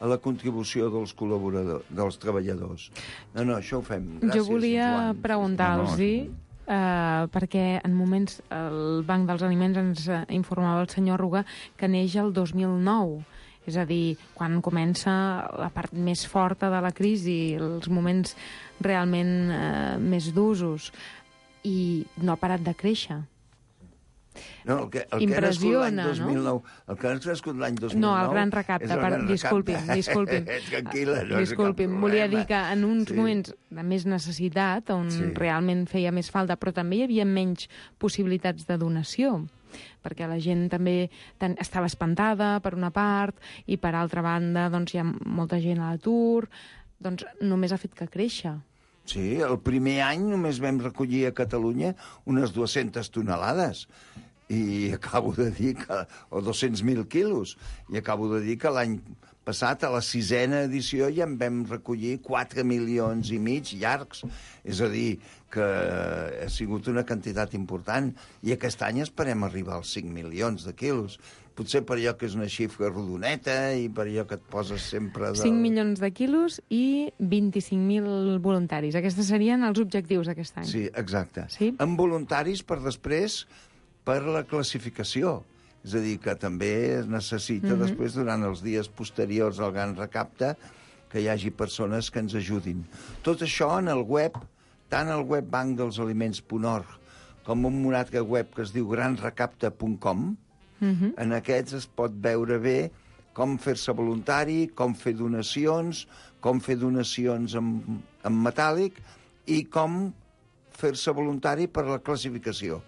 la contribució dels col·laboradors, dels treballadors. No, això ho fem. Gràcies, jo volia preguntar-los-hi, perquè en moments el Banc dels Aliments ens informava el senyor Arruga que neix el 2009. És a dir, quan comença la part més forta de la crisi, els moments realment més d'usos, i no ha parat de créixer. No, el que ha nascut l'any 2009... El que ha nascut l'any 2009... No, el Gran Recapte, disculpi'm. Tranquil·la. Disculpi'm, volia dir que en uns moments de més necessitat, on realment feia més falta, però també hi havia menys possibilitats de donació, perquè la gent també estava espantada, per una part, i per altra banda doncs, hi ha molta gent a l'atur, doncs només ha fet que créixer. Sí, el primer any només vam recollir a Catalunya unes 200 tonelades, i acabo de dir que... o 200.000 quilos, i acabo de dir que l'any passat, a la 6a edició, ja en vam recollir 4,5 milions llargs. És a dir, que ha sigut una quantitat important, i aquest any esperem arribar als 5 milions de quilos. Potser per allò que és una xifra rodoneta i per allò que et poses sempre... 5 milions de quilos i 25.000 voluntaris. Aquests serien els objectius d'aquest any. Sí, exacte. Sí? Amb voluntaris per després, per la classificació. És a dir, que també es necessita després, durant els dies posteriors al Gran Recapte, que hi hagi persones que ens ajudin. Tot això en el web, tant el web bancdelsaliments.org com un altre web que es diu granrecapte.com. En aquests es pot veure bé com fer-se voluntari, com fer donacions en metàl·lic i com fer-se voluntari per la classificació,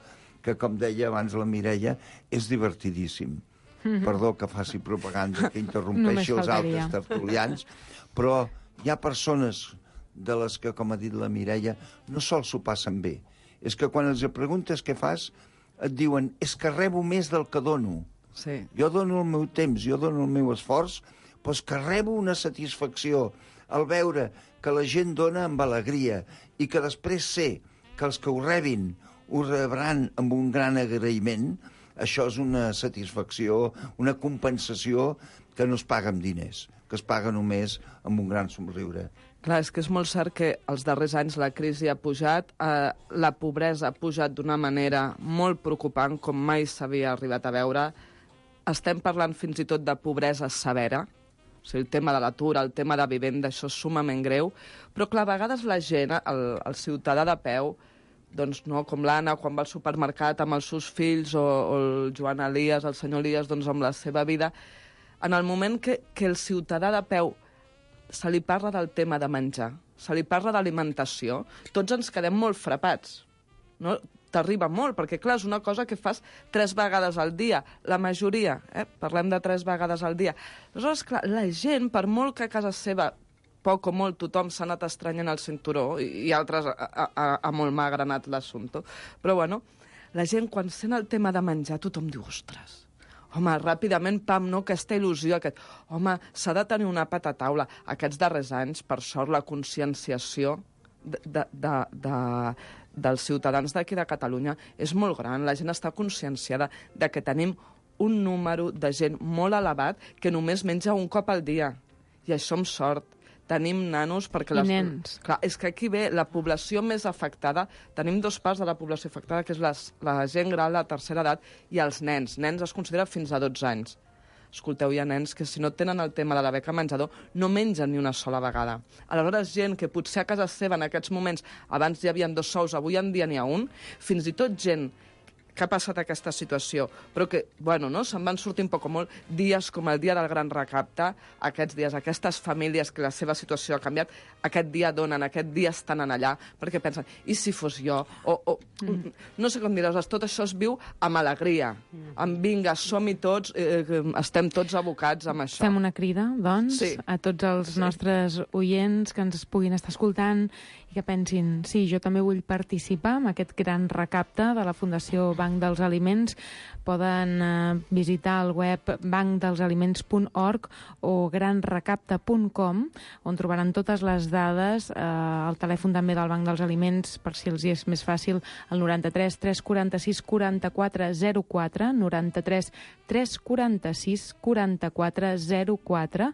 que, com deia abans la Mireia, és divertidíssim. Perdó que faci propaganda, que interrompeixi els altres tertulians, però hi ha persones de les que, com ha dit la Mireia, no sols s'ho passen bé. És que quan els preguntes què fas, et diuen, és que rebo més del que dono. Sí. Jo dono el meu temps, jo dono el meu esforç, però és que rebo una satisfacció al veure que la gent dona amb alegria i que després sé que els que ho rebin ho rebran amb un gran agraïment. Això és una satisfacció, una compensació que no es paga amb diners, que es paga només amb un gran somriure. Clar, és que és molt cert que els darrers anys la crisi ha pujat, la pobresa ha pujat d'una manera molt preocupant, com mai s'havia arribat a veure. Estem parlant fins i tot de pobresa severa, o sigui, el tema de l'atur, el tema de vivenda, això és sumament greu, però clar, a vegades la gent, el ciutadà de peu, doncs no, com l'Anna, quan va al supermercat amb els seus fills, o el Joan Elias, el senyor Elias, doncs amb la seva vida, en el moment que el ciutadà de peu se li parla del tema de menjar, se li parla d'alimentació, tots ens quedem molt frapats, no? T'arriba molt, perquè clar, és una cosa que fas 3 vegades al dia, la majoria, parlem de 3 vegades al dia. Aleshores, clar, la gent, per molt que a casa seva poc o molt tothom s'ha anat estranyant el cinturó, i altres a molt magre ha anat l'assumpte, però bueno, la gent quan sent el tema de menjar, tothom diu, ostres, home, ràpidament, pam, no, aquesta il·lusió, home, s'ha de tenir un àpat a taula. Aquests darrers anys, per sort, la conscienciació dels ciutadans d'aquí de Catalunya és molt gran. La gent està conscienciada de que tenim un número de gent molt elevat que només menja un cop al dia. I això amb sort. Tenim nanos perquè... I nens. Clar, és que aquí ve la població més afectada. Tenim dos parts de la població afectada, que és la gent gran, la tercera edat, i els nens. Nens es considera fins a 12 anys. Escolteu, hi ha nens que si no tenen el tema de la beca menjador no mengen ni una sola vegada. Aleshores, gent que potser a casa seva en aquests moments abans hi havia 2 sous, avui en dia n'hi ha un, fins i tot gent que ha passat aquesta situació, però que, bueno, no, se'n van sortir un poc o molt dies com el dia del gran recapte, aquests dies, aquestes famílies que la seva situació ha canviat, aquest dia donen, aquest dia estan allà, perquè pensen, i si fos jo? No sé com dir-ho, tot això es viu amb alegria, amb vinga, som-hi tots, estem tots abocats amb això. Fem una crida, doncs, sí, a tots els nostres oients que ens puguin estar escoltant i que pensin, sí, jo també vull participar en aquest gran recapte de la Fundació Banc dels Aliments. Poden visitar el web bancdelsaliments.org o granrecapte.com, on trobaran totes les dades, el telèfon també del Banc dels Aliments, per si els hi és més fàcil, el 93 346 44 04, 93 346 44 04,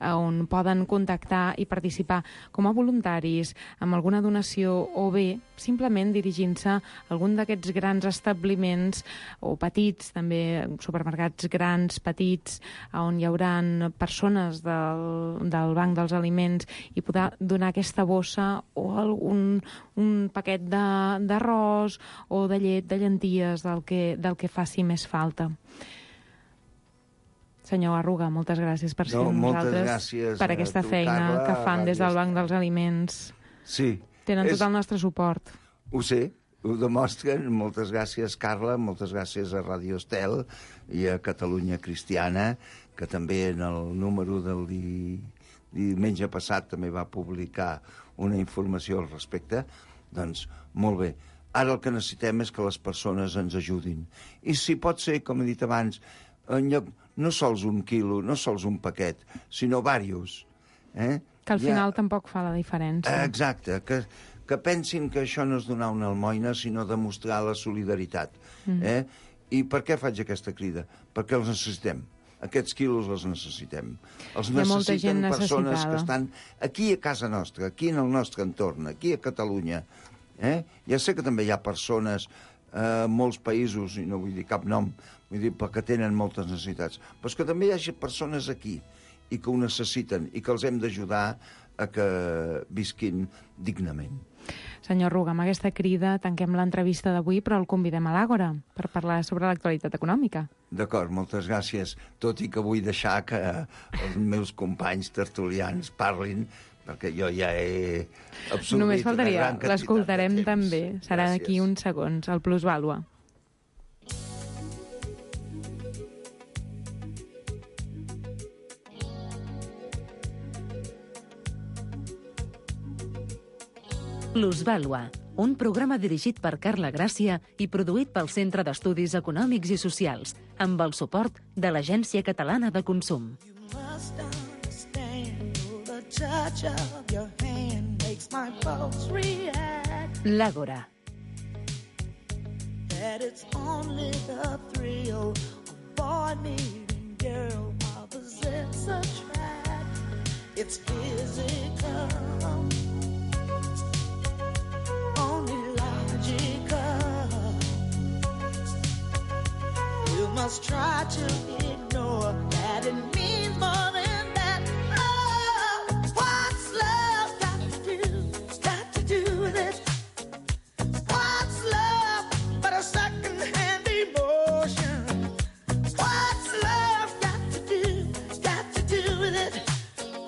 on poden contactar i participar com a voluntaris amb alguna donació o bé simplement dirigint-se a algun d'aquests grans establiments o petits, també supermercats grans, petits, on hi haurà persones del Banc dels Aliments i poder donar aquesta bossa o un paquet d'arròs o de llet, de llenties, del que faci més falta. Senyor Arruga, moltes gràcies per ser amb nosaltres, per aquesta feina Carla, que fan des del Banc dels Aliments. Sí. Tenen tot el nostre suport. Ho sé, ho demostren. Moltes gràcies, Carla, moltes gràcies a Radio Estel i a Catalunya Cristiana, que també en el número del diumenge passat també va publicar una informació al respecte. Doncs, molt bé. Ara el que necessitem és que les persones ens ajudin. I si pot ser, com he dit abans, en lloc, no sols un quilo, no sols un paquet, sinó diversos. Que al final tampoc fa la diferència. Exacte, que pensin que això no és donar una almoina, sinó demostrar la solidaritat. I per què faig aquesta crida? Perquè els necessitem. Aquests quilos els necessitem. Els necessiten persones que estan aquí a casa nostra, aquí en el nostre entorn, aquí a Catalunya. Ja sé que també hi ha persones a molts països, i no vull dir cap nom, vull dir perquè tenen moltes necessitats, però és que també hi ha persones aquí i que ho necessiten i que els hem d'ajudar a que visquin dignament. Senyor Ruga, amb aquesta crida tanquem l'entrevista d'avui, però el convidem a l'Àgora per parlar sobre l'actualitat econòmica. D'acord, moltes gràcies. Tot i que vull deixar que els meus companys tertulians parlin, perquè jo ja he absorbit només faltaria, una gran quantitat l'escoltarem de temps. també. Serà Gràcies. d'aquí uns segons, el Plusvàlua. Plusvàlua, un programa dirigit per Carla Gràcia i produït pel Centre d'Estudis Econòmics i Socials, amb el suport de l'Agència Catalana de Consum. L'Àgora. That it's only the thrill of boy meeting girl opposites attract. It's physical, only logical. You must try to ignore that it means more than that. Oh, what's love got to do? Got to do with it. What's love but a second-hand emotion? What's love got to do with it?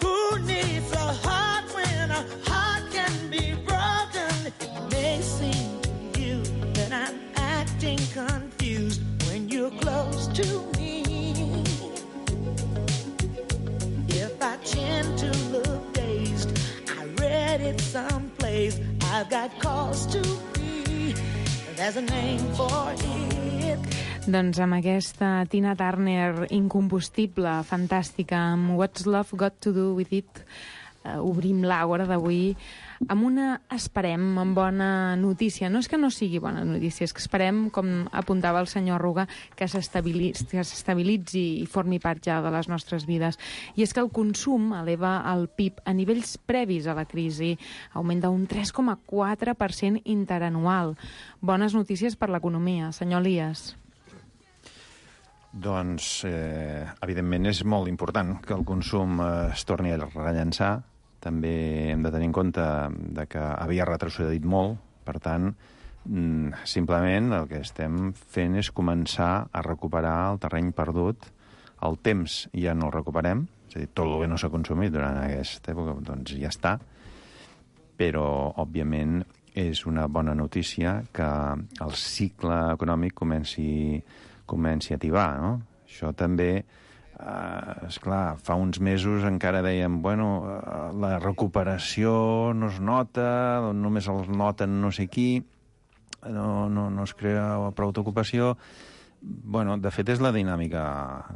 Who needs a heart when a heart can be broken? It may seem to you that I'm acting confused when you're close to me. If I tend to look dazed, I read it someplace. I've got cause to be. There's a name for it. Doncs amb aquesta Tina Turner incombustible, fantàstica, amb What's Love Got to Do With It, obrim l'Àgora d'avui amb una, esperem, amb bona notícia. No és que no sigui bona notícia, és que esperem, com apuntava el senyor Arruga, que s'estabilitzi i formi part ja de les nostres vides. I és que el consum eleva el PIB a nivells previs a la crisi, augmenta un 3,4% interanual. Bones notícies per l'economia. Senyor Elias. Doncs, evidentment, és molt important que el consum es torni a rellançar. També hem de tenir en compte que havia retrocedit molt. Per tant, simplement el que estem fent és començar a recuperar el terreny perdut. El temps ja no el recuperem, és a dir, tot el que no s'ha consumit durant aquesta època doncs ja està. Però, òbviament, és una bona notícia que el cicle econòmic comenci a tibar, no? Això també, esclar, fa uns mesos encara dèiem, bueno, la recuperació no es nota, només els noten no sé qui, no es crea prou d'ocupació. Bueno, de fet, és la dinàmica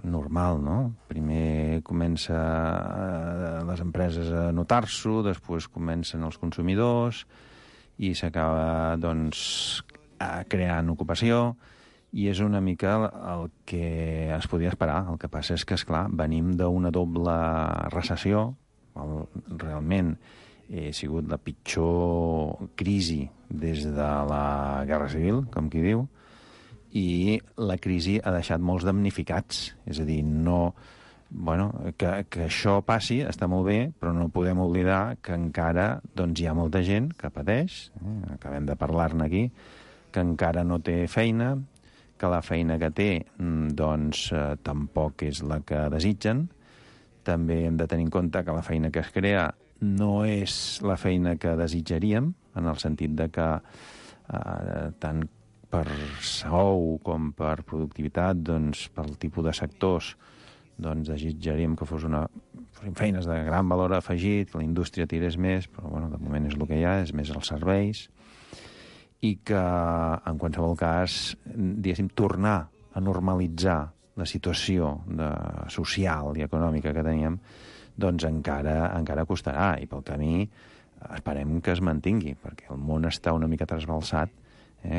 normal, no? Primer comença les empreses a notar-s'ho, després comencen els consumidors i s'acaba, doncs, creant ocupació. I és una mica el que es podia esperar. El que passa és que, esclar, venim d'una doble recessió. Realment ha sigut la pitjor crisi des de la Guerra Civil, com qui diu, i la crisi ha deixat molts damnificats. És a dir, que això passi està molt bé, però no podem oblidar que encara doncs, hi ha molta gent que pateix, acabem de parlar-ne aquí, que encara no té feina, que la feina que té doncs, tampoc és la que desitgen. També hem de tenir en compte que la feina que es crea no és la feina que desitjaríem, en el sentit de que tant per sou com per productivitat, doncs, pel tipus de sectors, doncs, desitjaríem que fossin feines de gran valor afegit, que la indústria tirés més, però bueno, de moment és el que hi ha, és més els serveis, i que, en qualsevol cas, diguéssim, tornar a normalitzar la situació social i econòmica que teníem, doncs encara costarà, i pel camí esperem que es mantingui, perquè el món està una mica trasbalsat,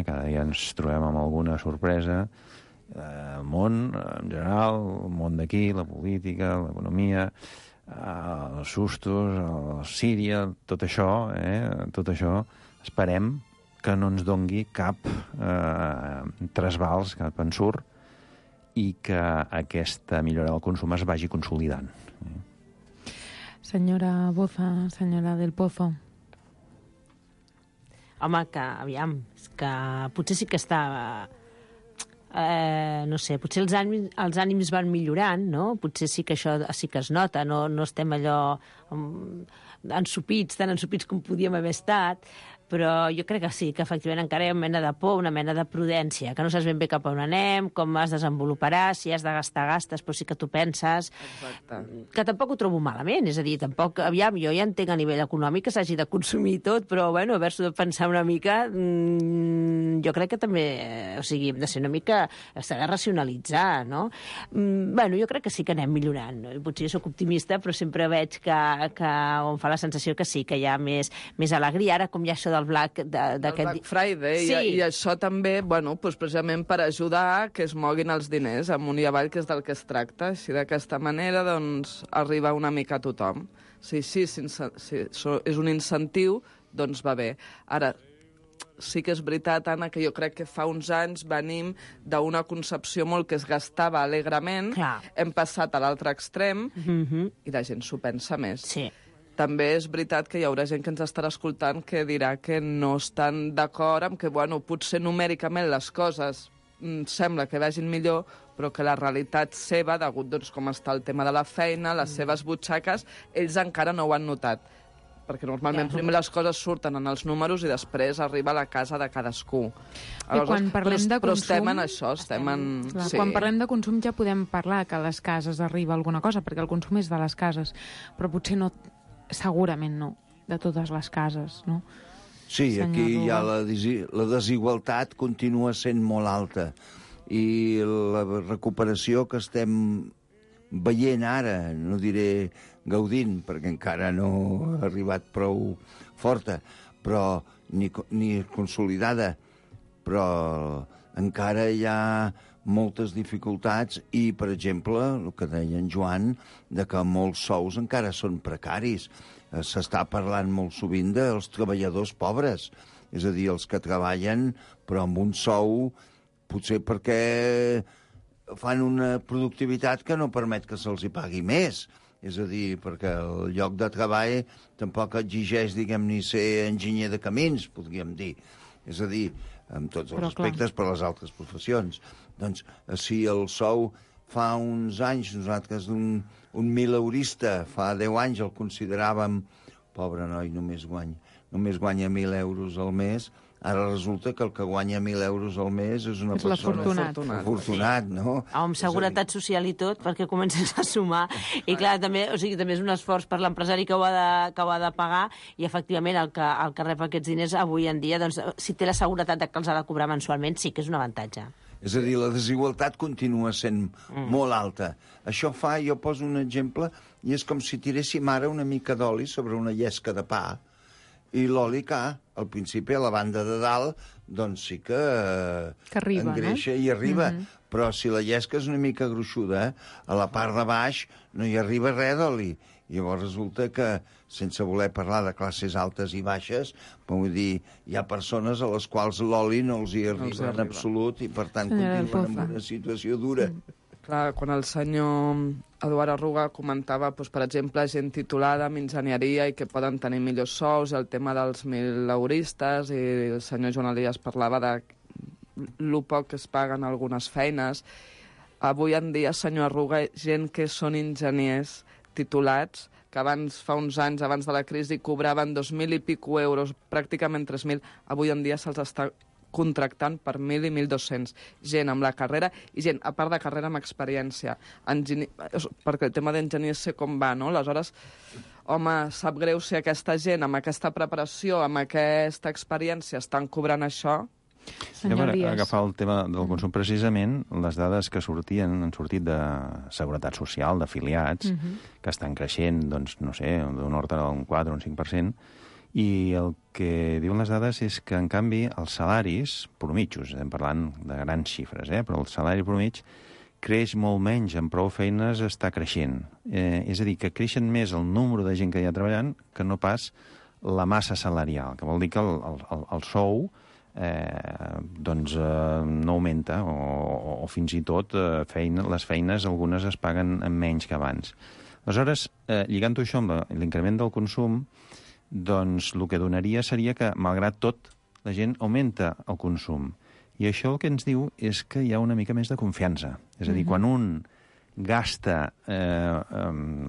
cada dia ens trobem amb alguna sorpresa, el món, en general, el món d'aquí, la política, l'economia, els sustos, Síria, tot això, esperem que no ens dongui cap trasbals, cap ensurt, i que aquesta millora del consum es vagi consolidant. Senyora Boza, senyora del Pozo. Home, que, aviam, que potser sí que està... no sé, potser els ànims van millorant, no? Potser sí que això sí que es nota, no estem allò ensopits, tan ensopits com podíem haver estat, però jo crec que sí, que efectivament encara hi ha una mena de por, una mena de prudència, que no saps ben bé cap a on anem, com es desenvoluparà, si has de gastar, gastes, però sí que tu penses... Exacte. Que tampoc ho trobo malament, és a dir, tampoc, aviam, jo ja entenc a nivell econòmic que s'hagi de consumir tot, però, bueno, haver-s'ho de pensar una mica, jo crec que també, o sigui, hem de ser una mica... s'ha de racionalitzar, no? Bueno, jo crec que sí que anem millorant. Potser jo soc optimista, però sempre veig que em fa la sensació que sí, que hi ha més alegria. Ara, com ja això del Black Friday, sí. I això també, bueno, doncs precisament per ajudar que es moguin els diners amunt i avall, que és del que es tracta. Així d'aquesta manera, doncs, arriba una mica a tothom. Si és un incentiu, doncs va bé. Ara, sí que és veritat, Anna, que jo crec que fa uns anys venim d'una concepció molt que es gastava alegrement, hem passat a l'altre extrem i la gent s'ho pensa més. Sí. També és veritat que hi haurà gent que ens estarà escoltant que dirà que no estan d'acord amb que, bueno, potser numèricament les coses sembla que vagin millor, però que la realitat seva, degut doncs, com està el tema de la feina, les seves butxaques, ells encara no ho han notat. Perquè normalment primer les coses surten en els números i després arriba a la casa de cadascú. Quan parlem de consum... Però estem en això, sí. Quan parlem de consum ja podem parlar que a les cases arriba alguna cosa, perquè el consum és de les cases, però potser no... Segurament no, de totes les cases, no? Sí, aquí hi ha la desigualtat continua sent molt alta i la recuperació que estem veient ara, no diré gaudint, perquè encara no ha arribat prou forta, però ni consolidada, però encara hi ha moltes dificultats i, per exemple, el que deia en Joan, de que molts sous encara són precaris. S'està parlant molt sovint dels treballadors pobres, és a dir, els que treballen però amb un sou, potser perquè fan una productivitat que no permet que se'ls hi pagui més. És a dir, perquè el lloc de treball tampoc exigeix, diguem-ne, ser enginyer de camins, podríem dir. És a dir, amb tots els respectes per les altres professions. Doncs, si el sou fa uns anys, nosaltres un mileurista, fa 10 anys el consideràvem, pobre noi, només guanya 1.000 euros al mes, ara resulta que el que guanya 1.000 euros al mes és una persona afortunat, no? Amb seguretat social i tot, perquè comences a sumar. I clar, també és un esforç per l'empresari que ho ha de pagar i, efectivament, el que rep aquests diners avui en dia, doncs, si té la seguretat que els ha de cobrar mensualment, sí que és un avantatge. És a dir, la desigualtat continua sent molt alta. Això fa, jo poso un exemple, i és com si tiréssim ara una mica d'oli sobre una llesca de pa, i l'oli que, al principi, a la banda de dalt, doncs sí que arriba, engreixa, no? I arriba. Però si la llesca és una mica gruixuda, a la part de baix no hi arriba res d'oli. Llavors resulta que, sense voler parlar de classes altes i baixes, vull dir, hi ha persones a les quals l'oli no els hi arriba en absolut i, per tant, continuen en una situació dura. Clar, quan el senyor Eduard Arruga comentava, doncs, per exemple, gent titulada en enginyeria i que poden tenir millors sous, el tema dels mileuristes, i el senyor Joan Elias parlava de lo poc que es paguen algunes feines. Avui en dia, senyor Arruga, gent que són enginyers titulats, que fa uns anys, abans de la crisi, cobraven 2.000 i pico euros, pràcticament 3.000, avui en dia se'ls està contractant per 1.000 i 1.200. Gent amb la carrera i gent, a part de carrera, amb experiència. Perquè el tema d'enginyer sé com va, no? Aleshores, home, sap greu si aquesta gent, amb aquesta preparació, amb aquesta experiència, estan cobrant això. Per agafar el tema del consum, precisament, les dades que han sortit de Seguretat Social, d'afiliats, que estan creixent, doncs, no sé, d'un ordre d'un 4 o un 5%, i el que diuen les dades és que, en canvi, els salaris promitjos, estem parlant de grans xifres, però el salari promig creix molt menys, amb prou feines està creixent. És a dir, que creixen més el número de gent que hi ha treballant que no pas la massa salarial, que vol dir que el sou no augmenta o fins i tot les feines algunes es paguen menys que abans. Aleshores, lligant-ho això amb l'increment del consum, doncs el que donaria seria que, malgrat tot, la gent augmenta el consum. I això el que ens diu és que hi ha una mica més de confiança. És a dir, quan un gasta,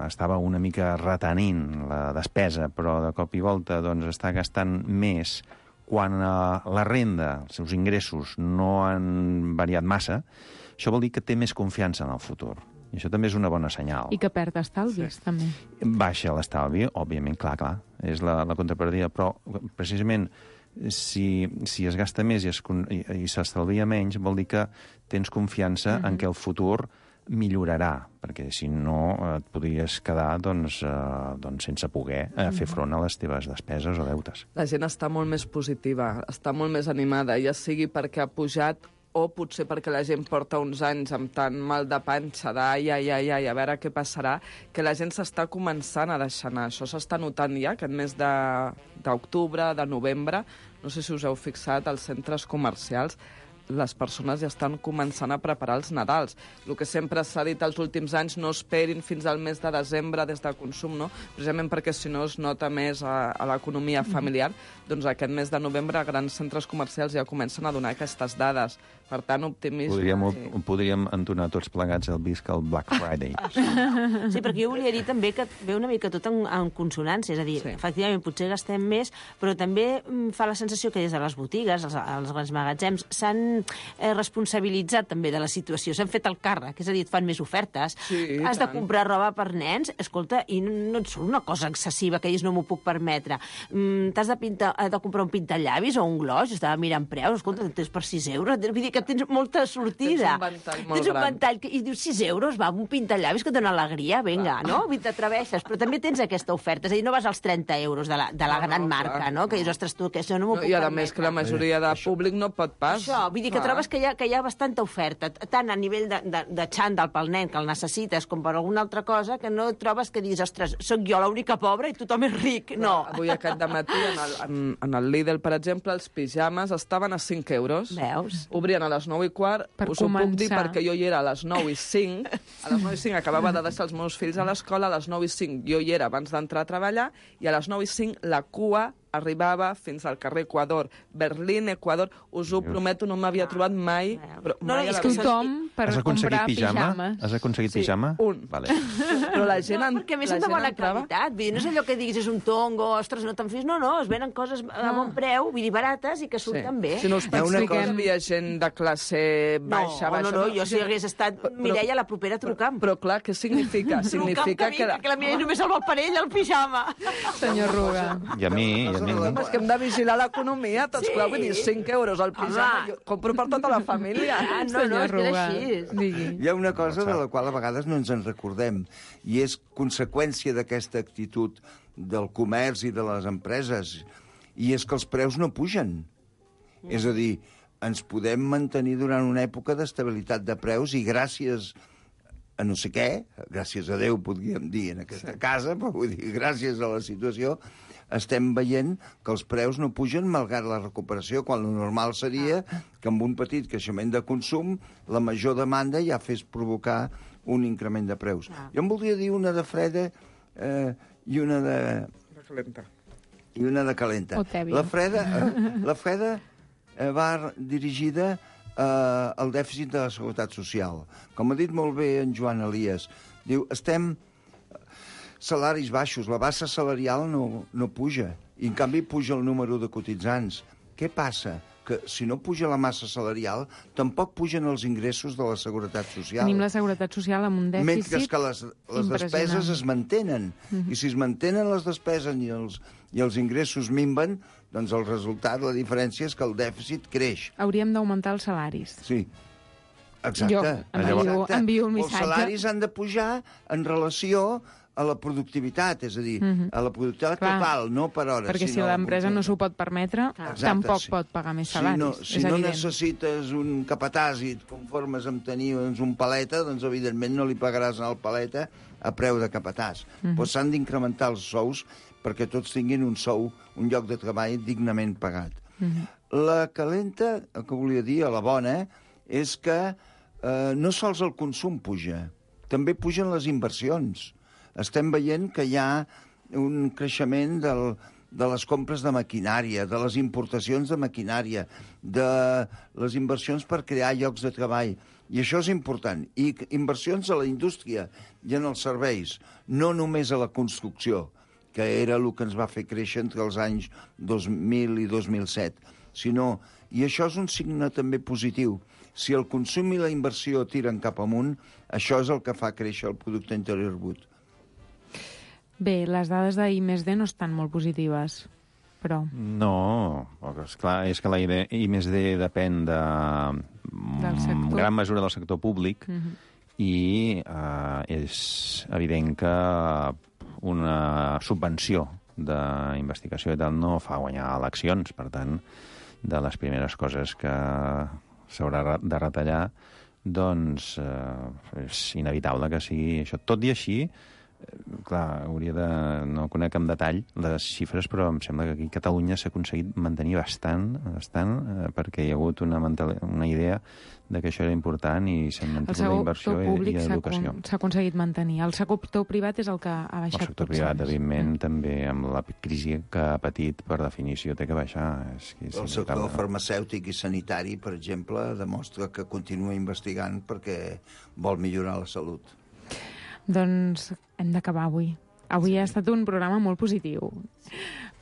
estava una mica retenint la despesa, però de cop i volta doncs, està gastant més quan la renda, els seus ingressos, no han variat massa, això vol dir que té més confiança en el futur. I això també és una bona senyal. I que perd estalvis, també. Baixa l'estalvi, òbviament, clar, és la contrapartida, però precisament si es gasta més i s'estalvia menys, vol dir que tens confiança en què el futur millorarà, perquè si no et podries quedar sense poder fer front a les teves despeses o deutes. La gent està molt més positiva, està molt més animada, ja sigui perquè ha pujat o potser perquè la gent porta uns anys amb tant mal de panxa, a veure què passarà, que la gent s'està començant a deixar anar. Això s'està notant ja, aquest mes d'octubre, de novembre, no sé si us heu fixat, als centres comercials, les persones ja estan començant a preparar els Nadals. El que sempre s'ha dit els últims anys, no esperin fins al mes de desembre des de consum, no? Precisament perquè si no es nota més a l'economia familiar, doncs aquest mes de novembre grans centres comercials ja comencen a donar aquestes dades. Per tant, optimisme... Podríem entonar tots plegats el visca el Black Friday. Sí, perquè jo volia dir també que ve una mica tot en consonància, és a dir, efectivament, potser gastem més, però també fa la sensació que des de les botigues, els grans magatzems, s'han responsabilitzat també de la situació, s'han fet el càrrec, és a dir, et fan més ofertes, has de comprar roba per nens, escolta, i no et surt una cosa excessiva que dius no m'ho puc permetre. T'has de comprar un pintallavis o un gloss, jo estava mirant preus, escolta, tens per 6 euros, vull dir que tens molta sortida. Tens un ventall i dius 6 euros, va, un pintallavis que et dona alegria, vinga, no? T'atreveixes, però també tens aquesta oferta, és a dir, no vas als 30 euros de la gran marca, no? Que dius, ostres, tu, que això no m'ho puc permetre. I a més que la majoria de públic no pot pas. Això, vull dir que trobes que hi ha bastanta oferta, tant a nivell de xandall pel nen, que el necessites, com per alguna altra cosa, que no trobes que diguis, ostres, sóc jo l'única pobra i tothom és ric. No. Avui aquest dematí, en el Lidl, per exemple, els pijames estaven a 5 euros. Veus? Obrien a les 9:15. Us ho puc dir perquè jo hi era a les 9:05. A les 9:05 acabava de deixar els meus fills a l'escola, a les 9:05 jo hi era abans d'entrar a treballar, i a les 9:05 la cua arribava fins al carrer Equador, Berlín, Equador. Us ho prometo, no m'havia trobat mai. Però mai és tothom per comprar pijames. Has aconseguit pijama? Un. Vale. Però la gent perquè a més són de bona qualitat. No és allò que diguis és un tongo, ostres, no te'n fis. No, es venen coses a bon preu, vull dir, barates i que surten bé. Si no us penseu que hi havia gent de classe baixa. No, jo si hagués estat Mireia, la propera truca'm. Però clar, què significa? Significa que la Mireia només el vol per ell, el pijama. Senyor Ruga. I a mi. És que hem de vigilar l'economia, tots, clar, vull dir, 5 euros al pijama, jo compro per tota la família. No, és que és així. Hi ha una cosa de la qual a vegades no ens en recordem, i és conseqüència d'aquesta actitud del comerç i de les empreses, i és que els preus no pugen. És a dir, ens podem mantenir durant una època d'estabilitat de preus i gràcies a no sé què, gràcies a Déu podríem dir en aquesta casa, però vull dir, gràcies a la situació, estem veient que els preus no pugen malgrat la recuperació, quan el normal seria que amb un petit creixement de consum la major demanda ja fes provocar un increment de preus. Jo em voldria dir una de freda i una de calenta. I una de calenta. La freda va dirigida al dèficit de la Seguretat Social. Com ha dit molt bé en Joan Elias, diu, estem salaris baixos, la bassa salarial no puja, i en canvi puja el número de cotitzants. Què passa? Que si no puja la massa salarial, tampoc pugen els ingressos de la Seguretat Social. Tenim la Seguretat Social amb un dèficit mentre que les despeses es mantenen. I si es mantenen les despeses i els ingressos minven, doncs el resultat, la diferència és que el dèficit creix. Hauríem d'augmentar els salaris. Sí. Exacte. Jo envio un missatge. Els salaris han de pujar en relació a la productivitat, és a dir, a la productivitat total, no per hores. Perquè si l'empresa no s'ho pot permetre, tampoc pot pagar més salaris. Si no necessites un capatàs i et conformes amb tenir un paleta, doncs evidentment no li pagaràs al paleta a preu de capatàs. Però s'han d'incrementar els sous perquè tots tinguin un sou, un lloc de treball dignament pagat. La calenta, el que volia dir, la bona, és que no sols el consum puja, també pugen les inversions. Estem veient que hi ha un creixement de les compres de maquinària, de les importacions de maquinària, de les inversions per crear llocs de treball. I això és important. I inversions a la indústria i en els serveis, no només a la construcció, que era el que ens va fer créixer entre els anys 2000 i 2007, sinó, i això és un signe també positiu, si el consum i la inversió tiren cap amunt, això és el que fa créixer el producte interior brut. Bé, les dades d'I+D no estan molt positives, però... No, esclar, és que la I+D depèn de gran mesura del sector públic i és evident que una subvenció d'investigació i tal no fa guanyar eleccions. Per tant, de les primeres coses que s'haurà de retallar, doncs és inevitable que sigui això. Tot i així, clar, hauria de... No conec en detall les xifres, però em sembla que aquí a Catalunya s'ha aconseguit mantenir bastant, perquè hi ha hagut una idea de que això era important i s'ha mantingut la inversió i l'educació. S'ha aconseguit mantenir. El sector privat és el que ha baixat. El sector privat, evidentment, també amb la crisi que ha patit, per definició, té que baixar. El sector farmacèutic i sanitari, per exemple, demostra que continua investigant perquè vol millorar la salut. Doncs hem d'acabar avui. Avui ha estat un programa molt positiu.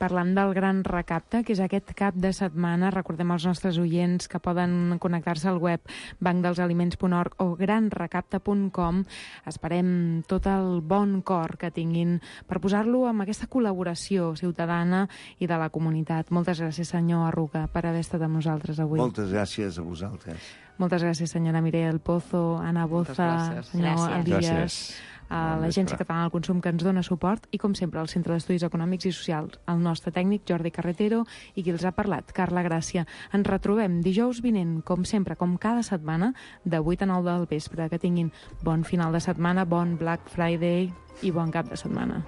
Parlant del Gran Recapte, que és aquest cap de setmana, recordem als nostres oients que poden connectar-se al web bancdelsaliments.org o granrecapte.com. Esperem tot el bon cor que tinguin per posar-lo amb aquesta col·laboració ciutadana i de la comunitat. Moltes gràcies, senyor Arruga, per haver estat amb nosaltres avui. Moltes gràcies a vosaltres. Moltes gràcies, senyora Mireia del Pozo, Anna Boza, senyor Elias, a l'Agència Catalana del Consum que ens dona suport i, com sempre, al Centre d'Estudis Econòmics i Socials, el nostre tècnic Jordi Carretero i qui els ha parlat, Carla Gràcia. Ens retrobem dijous vinent, com sempre, com cada setmana, de 8 a 9 del vespre. Que tinguin bon final de setmana, bon Black Friday i bon cap de setmana.